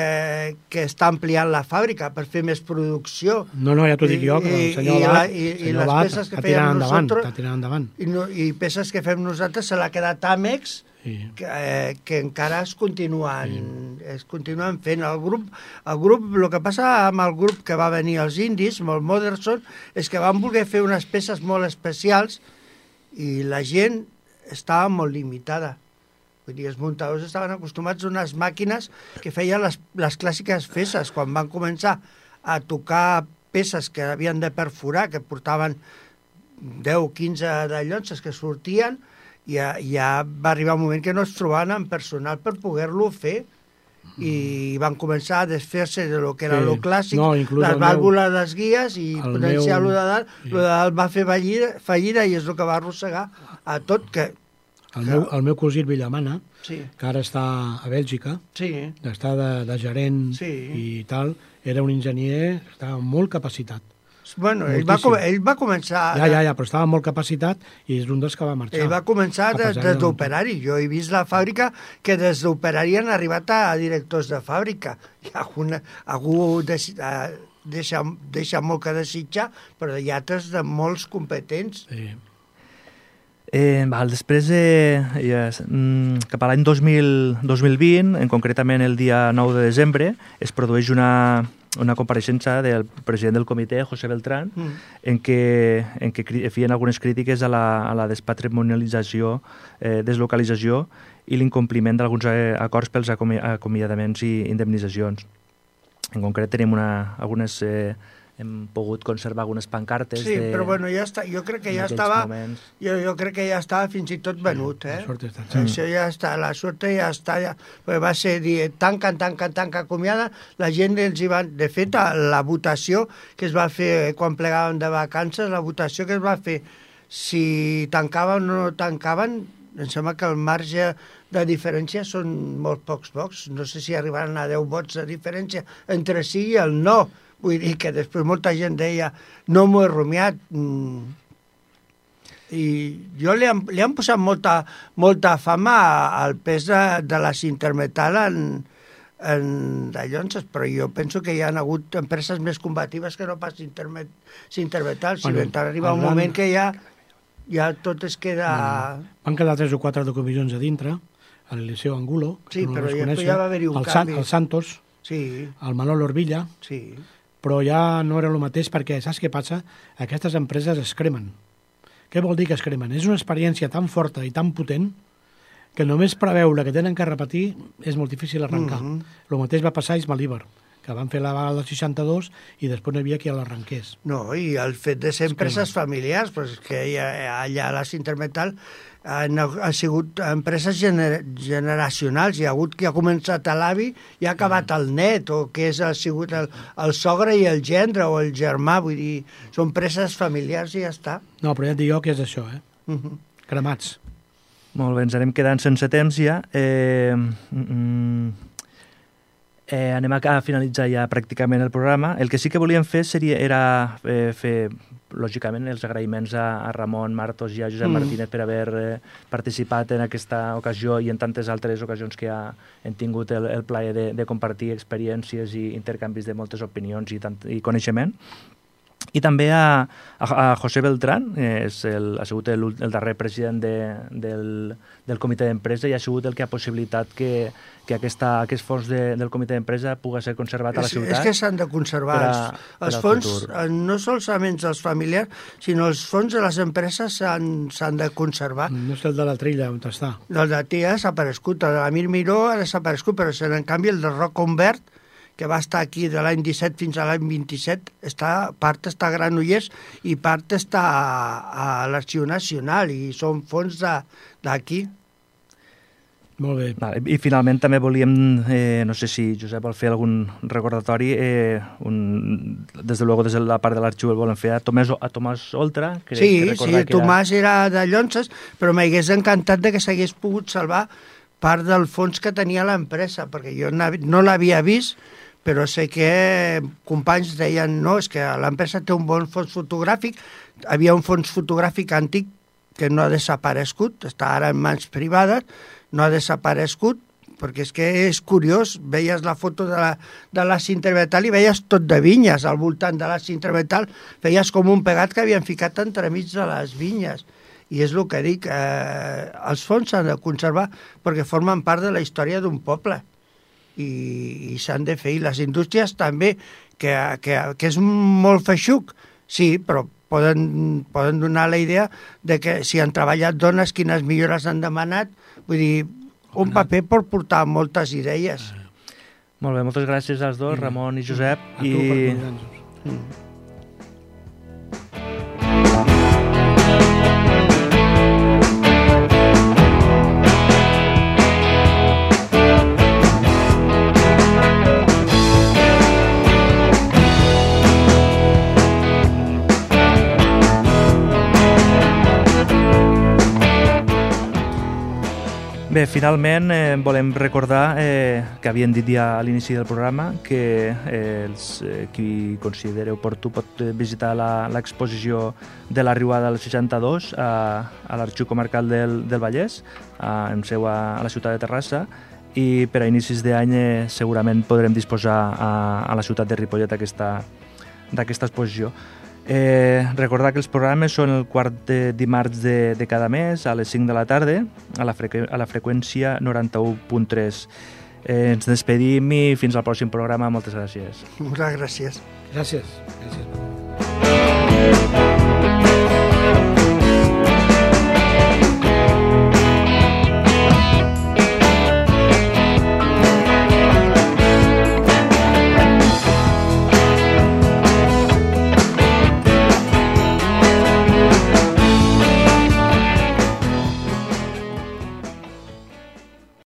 que està ampliant la fàbrica per fer més producció. No, no, ja t'ho dic jo, però el senyor Abat, i, i, i les peces que fèiem nosaltres, endavant, i, no, i peces que fem nosaltres se l'ha quedat Amex, sí. que, eh, que encara es continuen, sí. es continuen fent. El grup, el grup, el que passa amb el grup que va venir als indis, amb el Motterson, és que van voler fer unes peces molt especials i la gent estava molt limitada. Vull dir, els muntadors estaven acostumats a unes màquines que feien les, les clàssiques peces. Quan van començar a tocar peces que havien de perforar, que portaven deu o quinze de llonces que sortien, ja, ja va arribar un moment que no es trobaven amb personal per poder-lo fer, i van començar a desfer-se de lo que era sí. lo clàssic, no, les vàlvules meu... dels guies, i potenciar-lo meu... de dalt. Sí. Lo de dalt va fer fallida, fallida i és el que va arrossegar a tot, que El meu, el meu cosí Villamana, sí. que ara està a Bèlgica, sí. està de, de gerent sí. i tal, era un enginyer, estava molt capacitat. Bueno, ell va, ell va començar... Ja, ja, ja, però estava molt capacitat i és un dels que va marxar. Ell va començar des, des d'operari. Jo he vist la fàbrica que des d'operari han arribat a directors de fàbrica. I alguna, algú deixa, deixa, deixa molt que desitjar, però hi ha altres de molts competents. Sí. Eh, val, després, eh, ja, mm, cap a l'any dos mil vint, en concretament el dia nou de desembre, es produeix una, una compareixença del president del comitè, José Beltrán, mm. en què, en què feien algunes crítiques a la, a la despatrimonialització, eh, deslocalització i l'incompliment d'alguns eh, acords pels acomi acomiadaments i indemnitzacions. En concret tenim una, algunes... Eh, hem pogut conservar algunes pancartes. Sí, de, però bueno, ja està, jo crec que ja estava, jo, jo crec que ja estava fins i tot venut, eh? La està, sí. Això ja està, la sort ja està, ja, va ser dir, tanca, tanca, tanca, acomiada, la gent els hi va, de fet, la votació que es va fer quan plegàvem de vacances, la votació que es va fer, si tancaven o no tancaven, em sembla que el marge de diferència són molt pocs pocs, no sé si arribaran a deu vots de diferència entre sí i el no. Vull dir que després molta gent deia no m'ho he rumiat. I jo li han, li han posat molta, molta fama al pes de, de la Sintermetal en, en de llonces, però jo penso que hi ha hagut empreses més combatives que no pas Sintermetal. Si bueno, arriba un gran... moment que ja ja tot es queda... Mm. Van quedar tres o quatre de comissions a dintre, el Liceu Angulo, sí, no però ja, conèixer, ja va haver-hi un el canvi. San, el Santos, sí. el Manolo Orvilla, sí. però ja no era el mateix perquè, saps què passa? Aquestes empreses es cremen. Què vol dir que es cremen? És una experiència tan forta i tan potent que només preveure que tenen que repetir és molt difícil arrencar. El mm-hmm. mateix va passar a Ismalíber, que van fer la vaga del seixanta-dos i després no hi havia qui l'arrenqués. No, i el fet de ser empreses familiars, pues, que allà a la Cintermetal han, han sigut empreses gener, generacionals. Hi ha hagut qui ha començat a l'avi i ha acabat el net, o que és, ha sigut el, el sogre i el gendre o el germà. Vull dir, són empreses familiars i ja està. No, però ja et dic jo que és això, eh? Uh-huh. Cremats. Molt bé, ens anem quedant sense temps ja. Eh, mm, eh, anem a finalitzar ja pràcticament el programa. El que sí que volíem fer seria, era eh, fer, lògicament, els agraïments a, a Ramon Martos i a Josep mm. Martínez per haver eh, participat en aquesta ocasió i en tantes altres ocasions que ha, hem tingut el, el plaer de, de compartir experiències i intercanvis de moltes opinions i, tant, i coneixement. I també a, a, a José Beltrán, eh, és el, ha sigut el, el darrer president de, del, del comitè d'empresa i ha sigut el que ha possibilitat que, que aquesta, aquest fons de, del comitè d'empresa pugui ser conservat a la ciutat. És, és que s'han de conservar a, els, els fons, futur. No solament els familiars, sinó els fons de les empreses s'han de conservar. No és el de la Trilla, on està? El de la Trilla ha desaparegut, el de l'Amir Miró ha desaparegut, però en canvi el de Roc Convert, que va estar aquí de l'any disset fins a l'any vint-i-set, està, part està a Granollers i part està a, a l'Arxiu Nacional i són fons d'aquí. Molt bé. Vale. I finalment també volíem, eh, no sé si Josep vol fer algun recordatori, eh, un, des de luego des de la part de l'arxiu el volem fer a Tomàs, a Tomàs Oltra. Que, sí, que sí, era... Tomàs era de Llonses, però m'hagués encantat de que s'hagués pogut salvar part del fons que tenia l'empresa, perquè jo no l'havia vist, però sé que companys deien no, és que l'empresa té un bon fons fotogràfic, havia un fons fotogràfic antic que no ha desaparegut, està ara en mans privades, no ha desaparegut, perquè és que és curiós, veies la foto de la, de la Cintermetal i veies tot de vinyes al voltant de la Cintermetal, veies com un pegat que havien ficat entremig de les vinyes. I és el que dic, eh, els fons s'han de conservar perquè formen part de la història d'un poble. i, i s'han de fer, i les indústries també, que, que, que és molt feixuc, sí, però poden, poden donar la idea de que si han treballat dones, quines millores han demanat, vull dir, un paper pot portar moltes idees. Molt bé, moltes gràcies als dos, Ramon i Josep. A tu per convidar-nos. Bé, finalment eh, volem recordar eh, que havíem dit ja a l'inici del programa que eh, els, eh, qui consideri oportú pot visitar l'exposició de la Riuada del seixanta-dos a, a l'Arxiu Comarcal del, del Vallès, a, en seu a, a la ciutat de Terrassa, i per a inicis d'any eh, segurament podrem disposar a, a la ciutat de Ripollet d'aquesta exposició. Eh, recordar que els programes són el quart de dimarts de, de cada mes a les cinc de la tarda a la, frequ a la freqüència noranta-u punt tres. Eh, ens despedim i fins al pròxim programa. Moltes gràcies. Moltes gràcies. Gràcies. Gràcies.